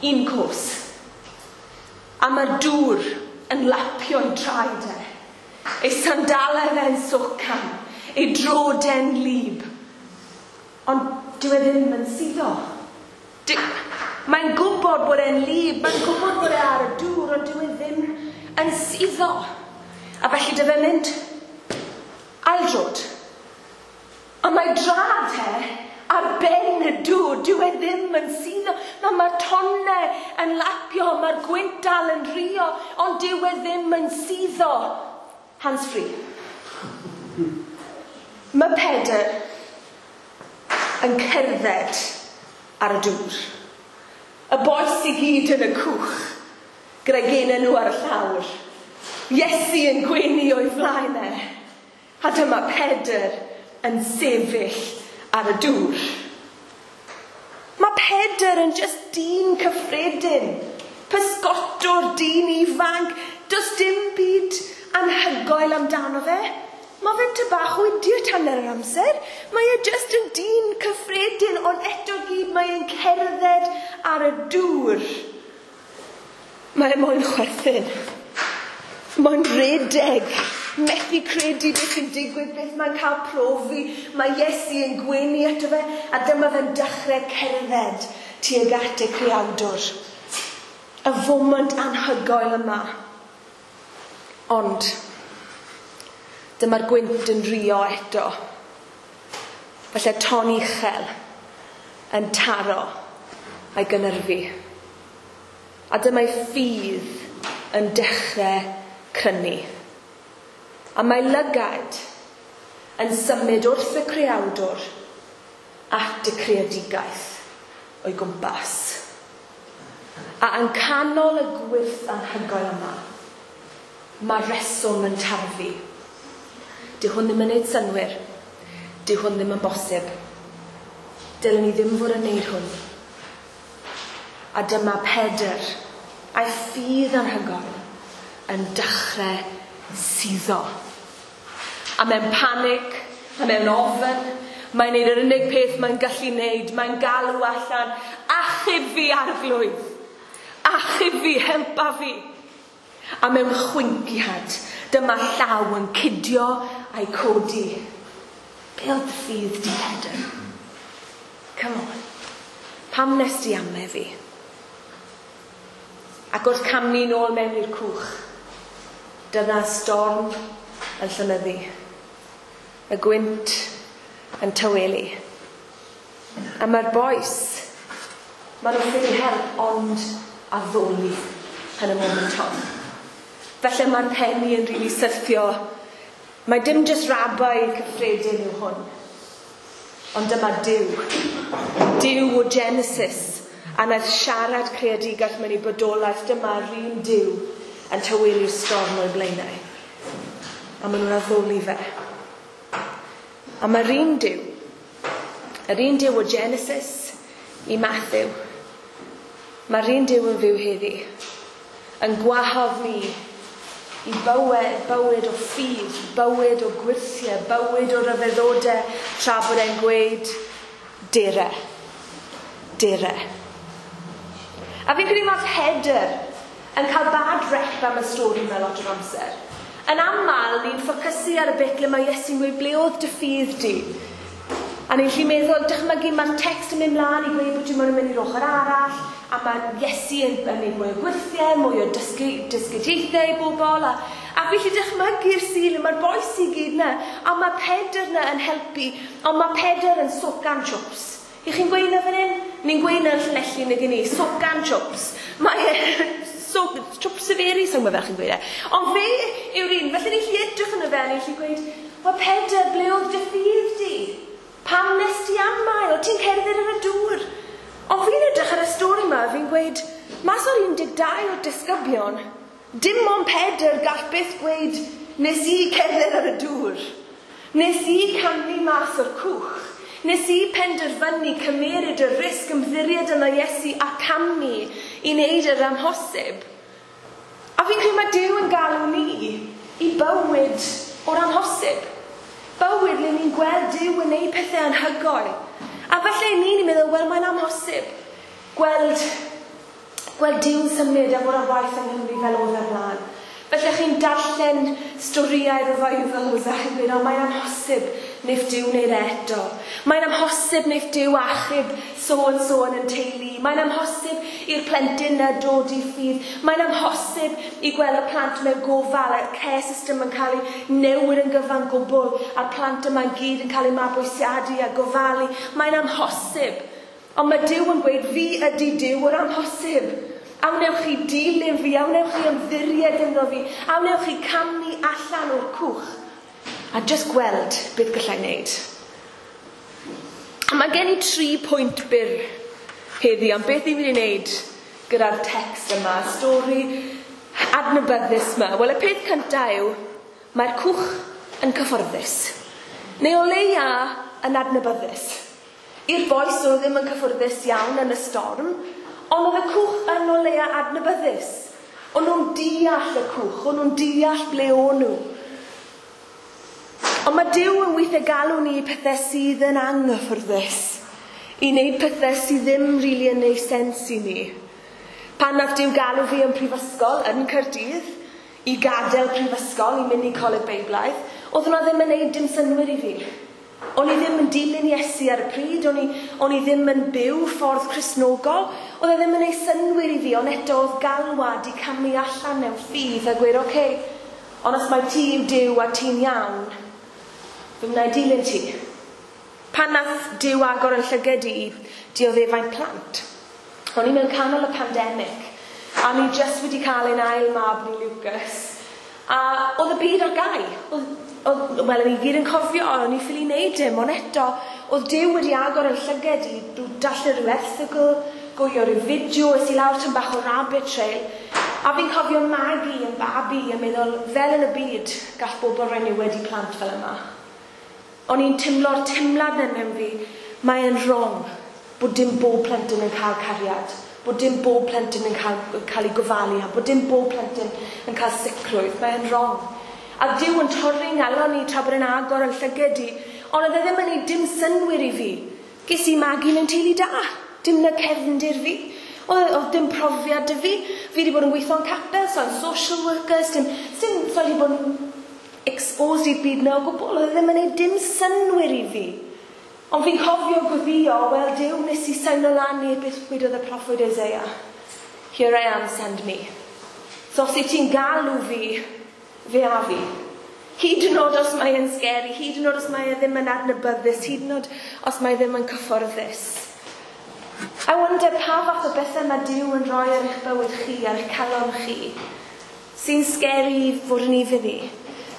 un cwrs. A mae'r dŵr yn lapio'i traed e. Ei sandalau fe'n socan, ei drode'n wlyb. Ond dyw e ddim yn suddo. Mae'n gwybod bod e'n wlyb, mae'n gwybod bod e ar y dŵr, ond dyw e ddim yn suddo. A felly dy fe'n mynd aildrod. A mae drad e ar ben y dŵr, dyw e ddim yn suddo. Mae'r tonnau yn lapio, mae'r gwynt dal yn rio, ond dyw e ddim yn suddo. Hands free. Mae Pedr yn cerdded ar y dŵr. Y bois i gyd yn y cwch, gyda'i genau nhw ar y llawr. Iesu yn gwenu o'i flaen e. A dyma Pedr yn sefyll ar y dŵr. Mae Pedr yn just dyn cyffredin. Pysgotwr, dyn ifanc. Does dim byd anhygoel amdano fe. Mae fe'n ty bach o idiot hanner yr amser. Mae e just yn dyn cyffredin, ond eto gyd mae e'n cerdded ar y dŵr. Mae e moyn chwerthin. Mae'n redeg. Methu credu beth sy'n digwydd, beth mae'n cael profi. Mae Iesu yn gwenu ato fe, a dyma fe'n dechrau cerdded tuag at y creawdwr. Y foment anhygoel yma. Ond dyma'r gwynt yn rio eto. Falle ton uchel yn taro a'i gynyrfu. A dyma'i ffydd yn dechrau crynu. A mae lygaid yn symud wrth y creawdwr at y creadigaeth o'i gwmpas. A yn canol y gwyrth anhygoel yma, mae reswm yn tarfu. Dyw hwn ddim yn neud synnwyr. Dyw hwn ddim yn bosib. Dylen ni ddim fod yn neud hwn. A dyma Pedr, a'i ffydd anhygoel, yn dechrau suddo. A mewn panic, a mewn ofn, mae'n neud yr unig peth mae'n gallu neud. Mae'n galw allan, achub fi Arglwydd. Achub fi, helpa fi. A mewn chwinciad, dyma llaw yn cydio a'i codi. Be oedd dy ffydd di, Pedr? Come on. Pam nes di ame fi? Ac wrth camu nôl mewn i'r cwch, dyna storm yn llonyddu. Y gwynt yn tawelu. A mae'r bois, maen nhw'n ffili help ond addoli yn y moment hon. Felly mae'r penni yn rili syrthio. Mae dim jyst rabai cyffredin yw hwn. Ond dyma Duw. Duw o Genesis. A wnaeth siarad creadigaeth mewn i bodolaeth. Dyma'r un Duw yn tawelu'r storm o'i blaenau. A maen nhw'n addoli fe. A mae'r un Duw, yr un Duw o Genesis i Matthew, mae'r un Duw yn fyw heddi, yn gwahodd ni i bywyd o ffydd, bywyd o gwyrthiau, bywyd o ryfeddodau, tra bod e'n gweud, dere, dere. A fi'n credu mae'r Pedr yn cael bad rep am y stori yma lot o'r amser. Yn aml, ni'n ffocysu ar y bit le mae Iesu'n gweud, ble oedd dy ffydd di? A ni'n gallu meddwl, dychmygu, mae'r text yn mynd mlaen i gweud bod ti'n mynd i'r ochr arall, a mae Iesu yn gwneud mwy o gwyrthiau, mwy o dysgediaethau i bobl, a fi gallu dychmygu'r Sul, mae'r bois i gyd na, a mae Pedr na yn helpu, ond mae Pedr yn socan chwps. I chi'n gweud na fan hyn? Ni'n gweud na yn Llanelli nag i ni, socan chwps. Mae chwps y feri, sa'n gwybod fel chi'n gweud e. Ond fe yw'r un, felly ni'n gallu edrych yn y fe, ni'n gallu gweud, wel Pedr, ble oedd dy ffydd di? Pam nes ti amau? O ti'n cerdded ar y dŵr? Ond fi'n edrych ar y stori yma, fi'n gweud, mas o'r 12 o'r disgyblion, dim ond Pedr gall byth gweud, nes i cerdded ar y dŵr. Nes i camu mas o'r cwch. Nes i penderfynu cymeryd y risg ymddiried yna Iesu a camu i wneud yr amhosib. A fi'n credu mae Duw yn galw ni i bywyd o'r amhosib. Bywyd le ni'n gweld Duw yn gwneud pethau anhygoel. A falle ni'n meddwl, wel, mae'n amhosib gweld Duw'n symud a fod ar waith yng Nghymru fel oedd ar blaen. Felly chi'n darllen storïau revivals a chi'n gweud, o, mae'n amhosib wneith Duw wneud e eto. Mae'n amhosib wneith Duw achub so and so yn teulu. Mae'n amhosib i'r plentyn na dod i ffydd. Mae'n amhosib i gweld y plant mewn gofal, y care system yn cael ei newid yn gyfan gwbl, a'r plant yma'n gyd yn cael eu mabwysiadu a gofalu. Mae'n amhosib. Ond mae Duw yn gweud, fi ydy Duw o'r amhosib. A wnewch chi dilyn fi, a wnewch chi ymddiried ynddo fi, a wnewch chi camu allan o'r cwch. A jyst gweld beth gallai wneud. A mae gen i 3 pwynt byr heddi am beth ni'n mynd i wneud gyda'r text yma, stori adnabyddus yma. Wel, y peth cyntaf yw, mae'r cwch yn cyfforddus. Neu o leia yn adnabyddus. I'r bois oedd ddim yn cyffwrddus iawn yn y storm, ond oedd y cwch yn o leia adnabyddus. O'n nhw'n deall y cwch, o'n nhw'n deall ble o'n nhw. Ond mae Duw yn weithiau galw ni i pethau sydd yn anghyffyrddus, i wneud pethau sydd ddim rili yn neud sens i ni. Pan nath Duw galw fi yn prifysgol, yn Caerdydd, i gadael prifysgol, i mynd i Coleg Beiblaidd, oedd hwnna ddim yn neud dim synnwyr i fi. O'n i ddim yn dilyn Iesu ar y pryd, o'n i ddim yn byw ffordd Cristnogol, oedd e ddim yn ei synnwyr i fi, ond eto oedd galwad i camu allan mewn ffydd a gweud, oce, ond os mae ti yw Duw a ti'n iawn, fe wna i dilyn ti. Pan nath Duw agor yn llygad i dioddefaint plant, o'n i mewn canol y pandemig, a ni jyst wedi cael ein ail mab ni, Lucas, a oedd y byd ar gau. Wel, o'n i gyd yn cofio, o'n i ffili wneud dim, ond eto, oedd Duw wedi agor yn llygad i darllen rhyw erthygl, gwylio rhyw fideo, es i lawr tam bach o rabbit trail, a fi'n cofio magu yn babi a meddwl, fel yn y byd, gall bobl roi niwed i plant fel yma. O'n i'n teimlo'r teimlad yn mewn fi, mae'n wrong bod dim bob plentyn yn cael cariad, bod dim bob plentyn yn cael ei gofalu, a bod dim bob plentyn yn cael sicrwydd, mae'n wrong. A Duw yn torri ngalon ni tra bod yn agor yn llygad i, ond oedd e ddim yn ei dim synnwyr i fi. Ges i magu mewn teulu da, dim na cefndir fi. Oedd dim profiad 'da fi. Fi wedi bod yn gweithio yn capel, so I'm social workers, dim so wedi bod yn exposed i'r byd na o gwbl. Oedd e ddim yn gwneud dim synnwyr i fi. Ond fi'n cofio gweddio, wel Duw, nes i seino lan i beth wedodd y proffwyd Isaiah. Here I am, send me. So os wyt ti'n galw fi, fe a fi. Hyd yn oed os mae e'n scary, hyd yn oed os mae e ddim yn adnabyddus, hyd yn oed os mae e ddim yn cyfforddus. I wonder pa fath o bethau mae Duw yn rhoi ar eich bywyd chi, ar eich calon chi, sy'n scary i fod yn ufudd i.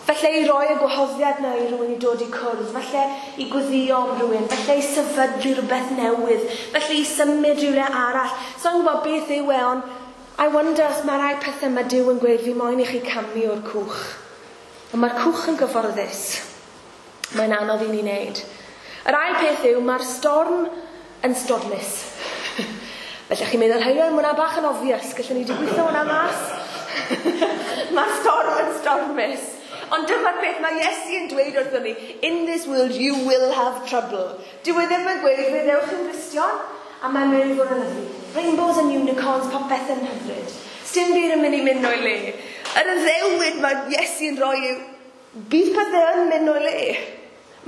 Falle i roi y gwahoddiad na i rhywun i dod i cwrdd, falle i gweddio am rhywun, falle i sefydlu rhywbeth newydd, falle i symud rhywle arall. So i'n gwybod beth yw e, ond I wonder os mae rai pethau mae Duw yn gweud fi moyn i chi camu o'r cwch. Ond mae'r cwch yn gyfforddus. Mae'n anodd i ni wneud. Yr ail peth yw, mae'r storm yn stormus. Felly chi'n meddwl, hei, mae hwnna bach yn obvious, gallwn ni wedi gweithio hwnna mas. Mae'r storm yn stormus. Ond dyma'r peth mae Iesu yn dweud wrthon ni, in this world you will have trouble. Dyw e ddim yn gweud, fe ddewch yn Gristion, a mae'n mynd i fod yn lyfli. Rainbows and unicorns, popeth yn hyfryd. Sdim byd yn mynd i mynd o'i le. Yr addewid mae Iesu yn rhoi yw, bydd pethau yn mynd o'i le.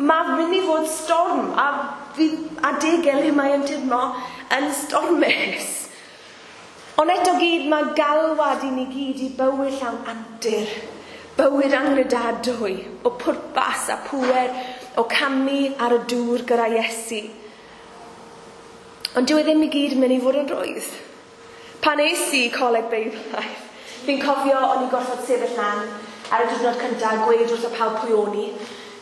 Mae mynd i fod storm, a fydd adegau le mae yn teimlo yn stormus. Ond eto gyd, mae galwad i ni gyd i bywyd llawn antur, bywyd angredadwy, o pwrpas a pŵer, o camu ar y dŵr gyda Iesu. Ond dyw e ddim i gyd yn mynd i fod yn rwydd. Pan es i Coleg Beiblaidd, fi'n cofio o'n i'n gorfod sefyll lan ar y diwrnod cyntaf a gweud wrth y pawb pwy o'n i.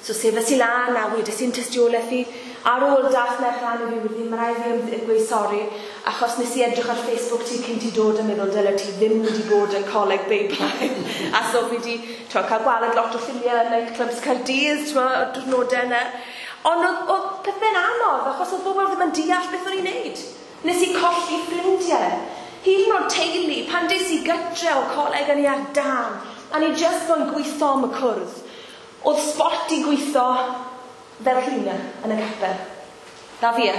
So sefyll i lan a wedes i'n tystiolaeth i. Ar ôl dath merch lan i fi wedi, mae rhaid fi gweud sori, achos nes i edrych ar Facebook ti cyn ti dod a meddwl dyle ti ddim wedi bod yn Coleg Beiblaidd. A so fi wedi cael gwaled lot o ffiliau yn nightclubs Caerdydd, o'r diwrnodau yna. Ond oedd pethau'n anodd, achos oedd bobl ddim yn deall beth o'n i'n neud. Nes i colli ffrindiau. Hyd yn oed teulu, pan des i gytre o coleg yn i ar dan, a ni just moyn gweithio am y cwrdd. Oedd spot i gweithio fel cleaner yn y capel. Na fi e.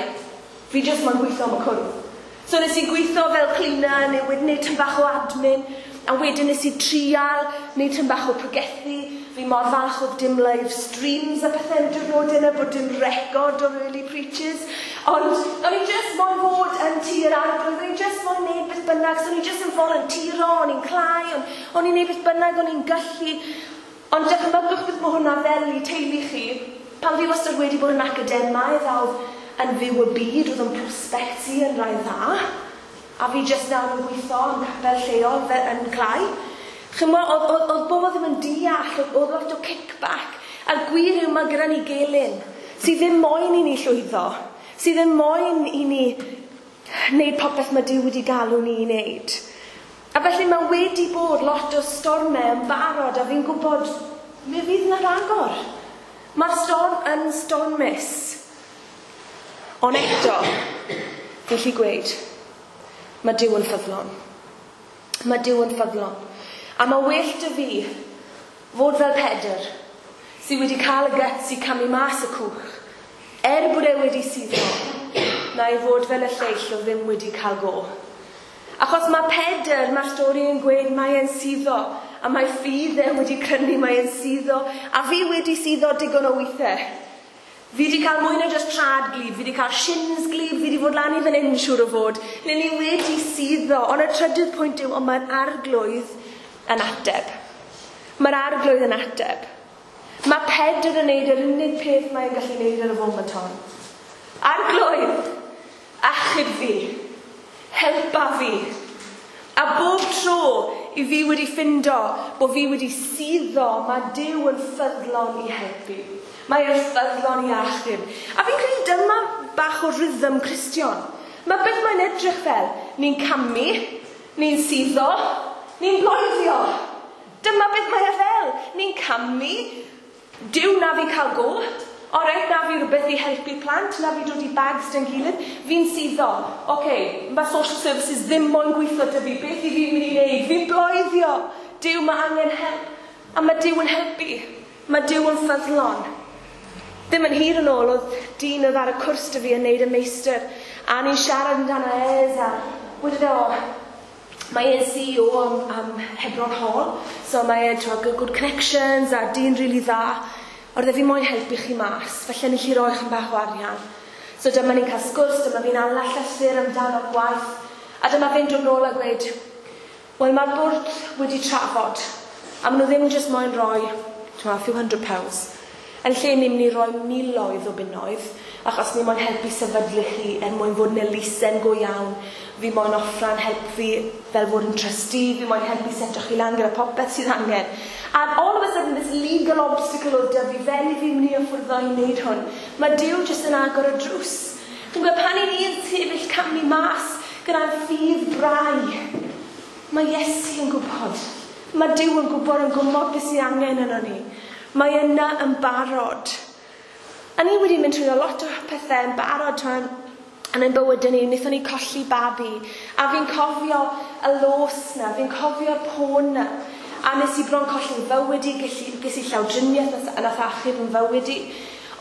Fi just moyn gweithio am y cwrdd. So nes i gweithio fel cleaner, neu wedyn neud tyn bach o admin, a wedyn nes i trial, neud tyn bach o pregethu. Fi mor falch oedd dim live streams a pethau yn diwrnod yna, bod dim record o'r early preachers. Ond o'n i just moyn fod yn tŷ'r arglwydd, o'n i just moyn neud beth bynnag, so o'n i just yn volunteero, o'n i'n clau, o'n i'n neud beth bynnag, o'n i'n gallu. Ond dychmygwch beth mae hwnna fel i teulu chi. Pan fi wastad wedi bod yn academaidd a oedd yn fyw y byd, oedd yn prospects i yn rai dda. A fi just nawr yn gweithio yn capel lleol fel yn clau. Chymod, oedd bobl ddim yn deall, oedd lot o kickback. A'r gwir yw mae gyda ni gelyn, sydd ddim moyn i ni llwyddo, sydd ddim moyn i ni wneud popeth mae Duw wedi galw ni i wneud. A felly mae wedi bod lot o stormau yn barod, a fi'n gwybod, mi fydd yna ragor. Mae'r storm yn stormus. Ond eto, fi'n gallu gweud, mae Duw yn ffyddlon. Mae Duw yn ffyddlon. A mae well dy fi fod fel Pedr, sydd wedi cael y guts i camu mas y cwch, bod e wedi suddo, na i fod fel y lleill o ddim wedi cael go. Achos mae Pedr, mae'r stori yn gweud, mae e'n suddo, a mae ffydd e wedi crynu, mae e'n suddo, a fi wedi suddo digon o weithiau. Fi wedi cael mwy na just trad glib, fi wedi cael shins glib, fi wedi fod lan i fan hyn siŵr o fod. Neu ni wedi suddo, ond y trydydd pwynt yw, ond mae'r arglwydd yn ateb. Mae'r arglwydd yn ateb. Mae Pedr yn neud yr unig peth mae'n gallu neud ar y foment hon. Arglwydd, achub fi, helpa fi. A bob tro i fi wedi ffindo bod fi wedi suddo, mae Duw yn ffyddlon i helpu. Mae e'n ffyddlon i achub. A fi'n credu dyma bach o rhythm Cristion. Mae beth mae'n edrych fel, ni'n camu, ni'n suddo, ni'n bloeddio. Dyma beth mae e fel. Ni'n camu, Duw na fi cael go, oreit na fi rhywbeth i helpu plant, na fi dod i bags dy'n gilydd, fi'n suddo. Oce, mae social services ddim moyn gweithio dy fi, beth i fi'n mynd i wneud? Fi'n bloeddio. Duw, mae angen help. A mae Duw yn helpu. Mae Duw yn ffyddlon. Ddim yn hir yn ôl, oedd dyn oedd ar y cwrs dy fi yn neud y meistr, a ni'n siarad amdano ez, a
Wedodd e, o, mae e'n CEO am Hebron Hall, so mae e'n good connections a dyn rili dda. Oedd e fi moyn helpu chi mas, felly ni chi roi chyn bach o arian. So dyma ni'n cael sgwrs, dyma fi'n ala llythyr amdano'r gwaith, a dyma fe'n dod nôl a gweud, wel mae'r bwrdd wedi trafod, a maen nhw ddim jyst moyn rhoi, a few £100. Yn lle ni'n mynd i roi miloedd o bunnoedd, achos ni moyn helpu sefydlu chi er mwyn fod yn elusen go iawn. Fi moyn offran help fi fel fod yn trustee, fi moyn helpu seto chi lan gyda popeth sydd angen. And all of a sudden, this legal obstacle oedd 'da fi, fel i fi mynd i afforddo i wneud hwn. Mae Duw jyst yn agor y drws. Chi'n gwybod, pan i ni'n sefyll camu mas gyda'n ffydd brau, mae Iesu yn gwybod. Mae Duw yn gwybod yn gwybod beth sydd angen yno ni. Mae yna yn barod. A ni wedi mynd trwy lot o pethau yn barod yn ein bywydau ni. Wnaethon ni colli babi. A fi'n cofio y los na, fi'n cofio'r poen na. A nes i bron colli'n fywyd i, ges i llawdriniaeth nath achub yn fywyd i.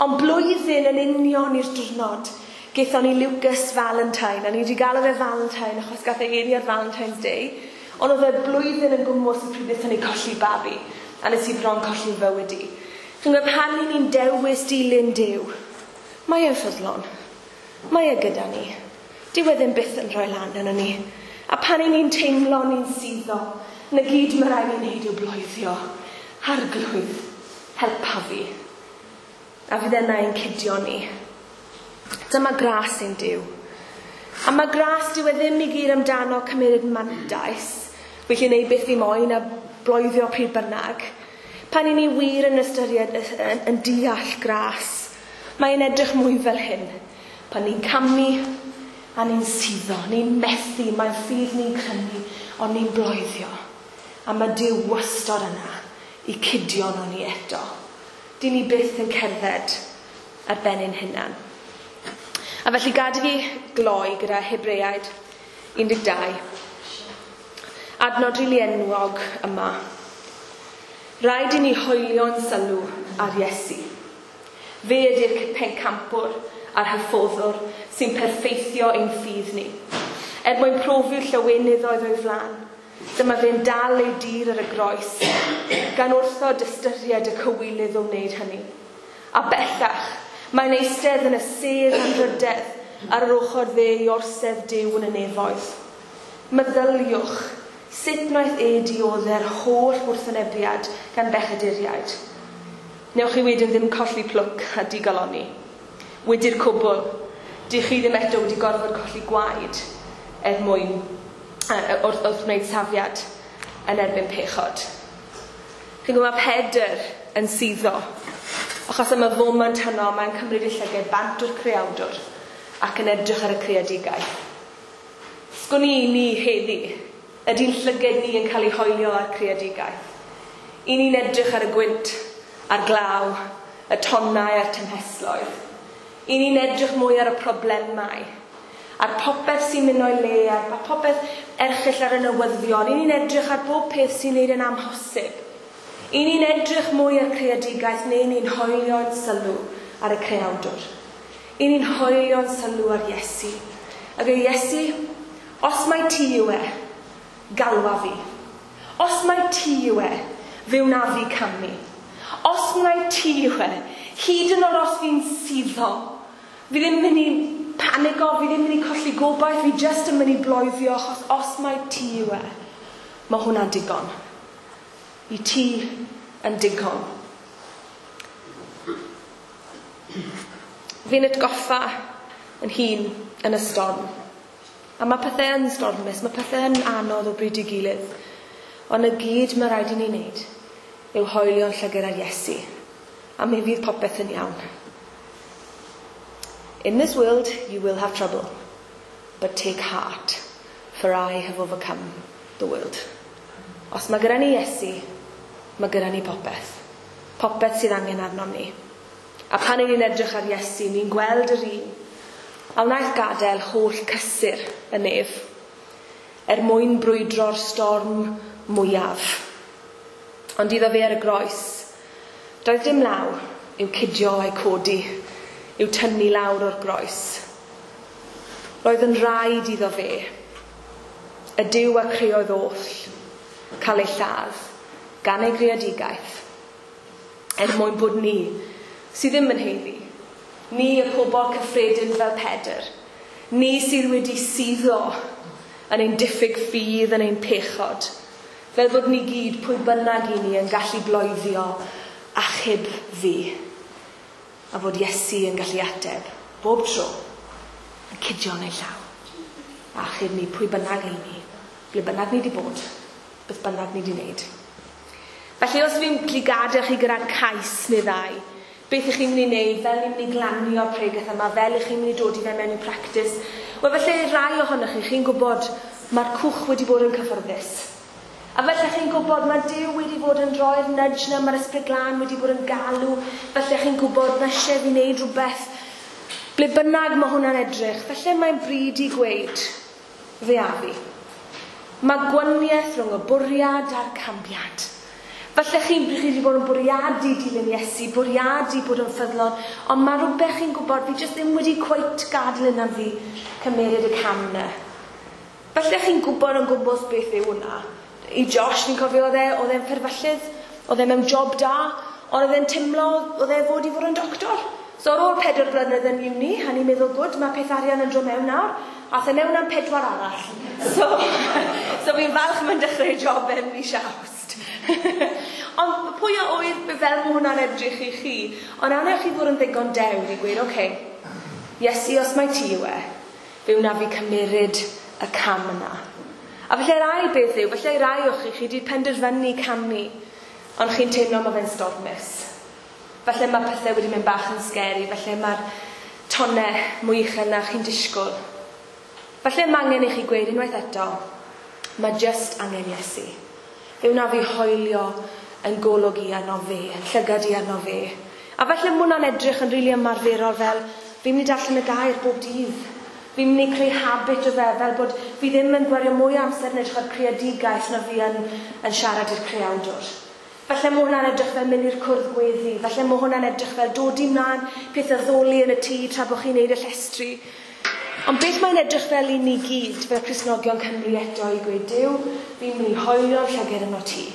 Ond blwyddyn yn union i'r diwrnod, gaethon ni Lucas Valentine. A ni wedi galw fe Valentine achos gath ei eni ar Valentine's Day. Ond oedd e blwyddyn yn gwmws y pryd wnaethon ni colli babi. A nes i bron colli'n fywyd i. Chi'n gwybod, pan ni'n dewis dilyn Duw, mae e'n ffyddlon. Mae e gyda ni. Dyw e ddim byth yn rhoi lan yno ni. A pan ni'n teimlo ni'n suddo, na gyd mae rhaid ni'n neud yw bloeddio. Arglwydd, helpa fi. A fydd yna ein cydio ni. Dyma gras ein Duw. A mae gras dyw e ddim i gyd amdano cymryd mantais. Felly neud beth fi moyn a bloeddio pryd bynnag. Pan i ni wir yn ystyried yn deall gras, mae'n edrych mwy fel hyn. Pan ni'n camu a ni'n suddo, ni'n methu, mae'n ffydd ni'n crynu, ond ni'n bloeddio. A mae Duw wastod yna i cydio nhw ni eto. Dyn ni byth yn cerdded ar ben ein hunan. A felly gad i fi gloi gyda Hebreaid 12. Adnod rili enwog yma. Rhaid i ni hoelio'n sylw ar Iesu. Fe ydy'r pencampwr a'r hyfforddwr sy'n perffeithio ein ffydd ni. Er mwyn profi'r llawenydd oedd o'i flaen, dyma fe'n dal ei dir ar y groes, gan wrthod ystyried y cywilydd o wneud hynny. A bellach, mae'n eistedd yn y sedd anrhydedd ar yr ochr dde i orsedd Duw yn y nefoedd. Meddyliwch, sut wnaeth e diodde'r holl wrthwynebiad gan bechaduriaid. Newch chi wedyn ddim colli plwc a digalonni. Wedi'r cwbl, dych chi ddim eto wedi gorfod colli gwaed er mwyn wrth wneud safiad yn erbyn pechod. Chi'n gwybod, mae Pedr yn suddo, achos am y foment hynno mae'n cymryd ei llygad bant o'r creawdwr ac yn edrych ar y creadigaeth. Sgwn i ni heddi, ydy'n llygad ni yn cael ei hoelio ar creadigaeth? I ni'n edrych ar y gwynt, a'r glaw, y tonnau a'r tymhestloedd. I ni'n edrych mwy ar y problemau, ar popeth sy'n mynd o'i le, ar popeth erchyll ar y newyddion. I ni'n edrych ar bob peth sy'n neud yn amhosib. I ni'n edrych mwy ar creadigaeth neu ni'n hoelio'n sylw ar y creawdwr. I ni'n hoelio'n sylw ar Iesu. Ac y Iesu, os mai ti yw e, galwa fi. Os mai ti yw e, fe wna fi camu. Os mai ti yw e, hyd yn oed os fi'n suddo, fi ddim mynd i panigo, fi ddim mynd i colli gobaith, fi jyst yn mynd i bloeddio, achos os mai ti yw e, mae hwnna'n digon. I ti yn digon. Fi'n atgoffa yn hun yn y storm. A mae pethau yn stormus, mae pethau yn anodd o bryd i gilydd. Ond y gyd mae rhaid i ni wneud yw hoelio'n llygad ar Iesu. A mi fydd popeth yn iawn. In this world you will have trouble, but take heart, for I have overcome the world. Os mae gyda ni Iesu, mae gyda ni popeth. Popeth sydd angen arnom ni. A pan ni'n edrych ar Iesu, ni'n gweld yr un a wnaeth gadael holl cysur y nef er mwyn brwydro'r storm mwyaf. Ond iddo fe ar y groes, doedd dim law i'w cydio a'i codi, i'w tynnu lawr o'r groes. Roedd yn rhaid iddo fe y Duw a creodd oll, cael ei lladd gan ei greadigaeth, er mwyn bod ni, sydd ddim yn haeddu, ni y pobl cyffredin fel Pedr, ni sydd wedi suddo yn ein diffyg ffydd, yn ein pechod, fel bod ni gyd, pwy bynnag i ni, yn gallu bloeddio achub fi, a fod Iesu yn gallu ateb bob tro, yn cydio yn ei llaw. Achub ni, pwy bynnag i ni, ble bynnag ni wedi bod, beth bynnag ni wedi wneud. Felly os fi'n gallu gadael chi gyda cais neu ddau, beth ych chi'n mynd i wneud, fel ni'n mynd i glanio'r pregeth yma, fel ych chi'n mynd i dod i fe mewn i practis, wel felly rai ohonoch chi, chi'n gwybod mae'r cwch wedi bod yn cyfforddus. A felly chi'n gwybod mae Duw wedi bod yn rhoi'r nudge na, mae'r Ysbryd Glân wedi bod yn galw, felly chi'n gwybod mae eisiau fi wneud rhywbeth. Ble bynnag mae hwnna'n edrych, felly mae'n bryd i gweud, fe a fi. Mae gwaniaeth rhwng y bwriad a'r cambiad. Falle chi'n chi wedi bod yn bwriadu dilyn Iesu, bwriadu bod yn ffyddlon, ond mae rhywbeth chi'n gwybod, fi jyst ddim wedi cweit gadael yna fi cymeryd y cam yna. Falle chi'n gwybod yn gwmws beth yw hwnna. I Josh, ni'n cofio oedd e'n fferfyllydd, oedd e mewn job da, ond oedd e'n timlo, oedd e fod i fod yn doctor. So ar ôl 4 blynedd yn uni, a ni'n meddwl, gwd, mae peth arian yn dod mewn nawr, ath e mewn am 4 arall. So fi'n falch mae'n dechrau job yn mis Awst. Ond pwy a oedd fel mae hwnna'n edrych i chi, ond anewch chi fod yn ddigon dewr i gweud, oce, Iesu, os mae ti yw e, fe wna fi cymeryd y cam yna. A felly'r ail beth yw, felly rai o'ch chi, chi wedi penderfynu camu, ond chi'n teimlo mae fe'n stormus. Felly mae pethau wedi mynd bach yn scary, felly mae'r tonau mwy uchel na chi'n disgwyl. Felly mae angen i chi gweud unwaith eto, mae jyst angen Iesu. Fe wna fi hoelio yn golwg i arno fe, yn llygad i arno fe. A felly mae hwnna'n edrych yn rili ymarferol fel, fi'n mynd i darllen y gair bob dydd. Fi'n mynd i creu habit o fe, fel bod fi ddim yn gwario mwy o amser yn edrych ar creadigaeth na fi yn siarad i'r creawdwr. Falle mae hwnna'n edrych fel mynd i'r cwrdd gweddi, falle mae hwnna'n edrych fel dod i mlaen peth addoli yn y tŷ tra bod chi'n neud y llestri. Ond beth mae'n edrych fel i ni gyd, fel Cristnogion Cymru eto, i gweud, Duw, fi'n mynd i hoelio'n llygad yno ti.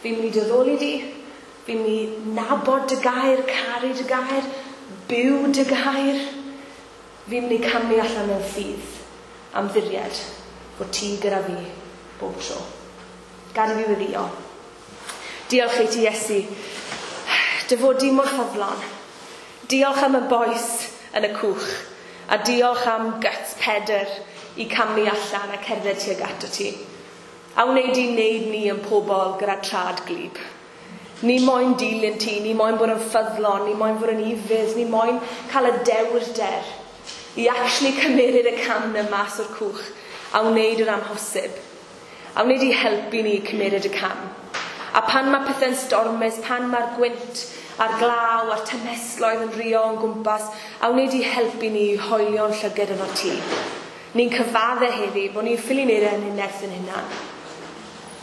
Fi'n mynd i dyddoli di, fi'n mynd i nabod dy gair, caru dy gair, byw dy gair. Fi'n mynd i camu allan mewn ffydd am ddiried bod ti gyda fi bob tro. Gad i fi weddïo. Diolch i ti, Iesu, dy fod di mor ffyddlon. Diolch am y boes yn y cwch, a diolch am guts Pedr i camu allan a cerdded tuag ato ti. A wneud i wneud ni yn pobl gyda trad glib. Ni moyn dilyn ti, ni moyn bod yn ffyddlon, ni moyn bod yn ufudd, ni moyn cael y dewrder i actually cymeryd y cam na mas o'r cwch a wneud yr amhosib. A wneud i helpu ni cymeryd y cam. A pan mae pethau'n stormus, pan mae'r gwynt a'r glaw a'r tymhestloedd yn rio yn gwmpas, a wneud i helpu ni hoelio'n llygad yno ti. Ni'n cyfadde heddi bod ni'n ffili wneud e yn ein nerth yn hunan.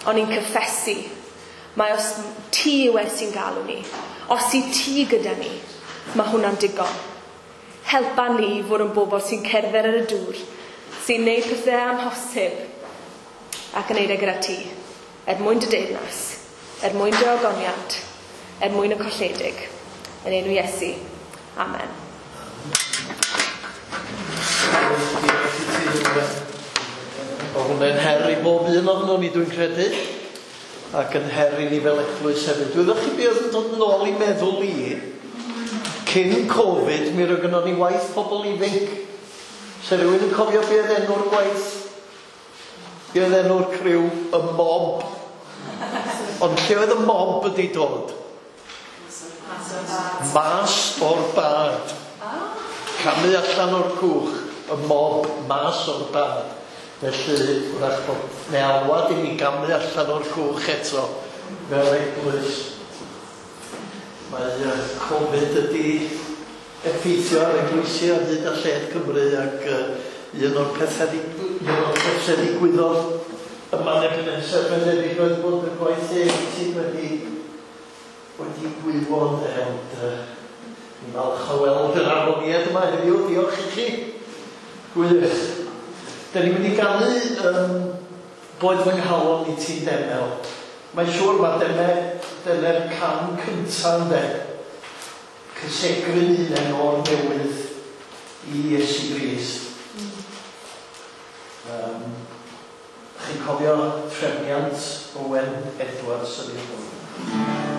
Ond ni'n cyffesu, mae os ti yw e sy'n galw ni, os i ti gyda ni, mae hwnna'n digon. Helpa ni i fod yn bobl sy'n cerdded ar y dŵr, sy'n neud pethau amhosib, ac yn neud e gyda ti, er mwyn dy deyrnas, er mwyn dy ogoniant, er mwyn y colledig. Yn enw Iesu. Amen.
O, hwnna'n her i bob un ohonon ni, dwi'n credu, ac yn her i ni fel eglwys hefyd. Wyddwch chi beth oedd yn dod nôl i meddwl i? Cyn Covid, mi roedd gynnon ni waith pobl ifanc. Se rhywun yn cofio be oedd enw'r gwaith? Be oedd enw'r criw? Y mob. Ond lle oedd y mob wedi dod? Mas o'r bad. Camu allan o'r cwch. Y mob, mas o'r bad. Felly, wrach bod neu alwad i ni gamu allan o'r cwch eto fel eglwys. Mae Covid ydi effeithio ar eglwysi ar hyd a lled Cymru, ac un o'r pethau ddigwyddodd yma yn Ebenezer Beneddig oedd bod y gwaith ieuenctid wedi gwywo, ond ni'n falch o weld yr aroniad yma heddiw. Diolch i chi. Gwych. Da ni'n mynd i ganu Boed fy nghalon i ti'n demel. Mae'n siŵr mae dyna'r cam cyntaf ynde. Cysegru'n hunain o'r newydd i Iesu Grist. Chi'n cofio trefniant Owen Edwards yn ei hwn.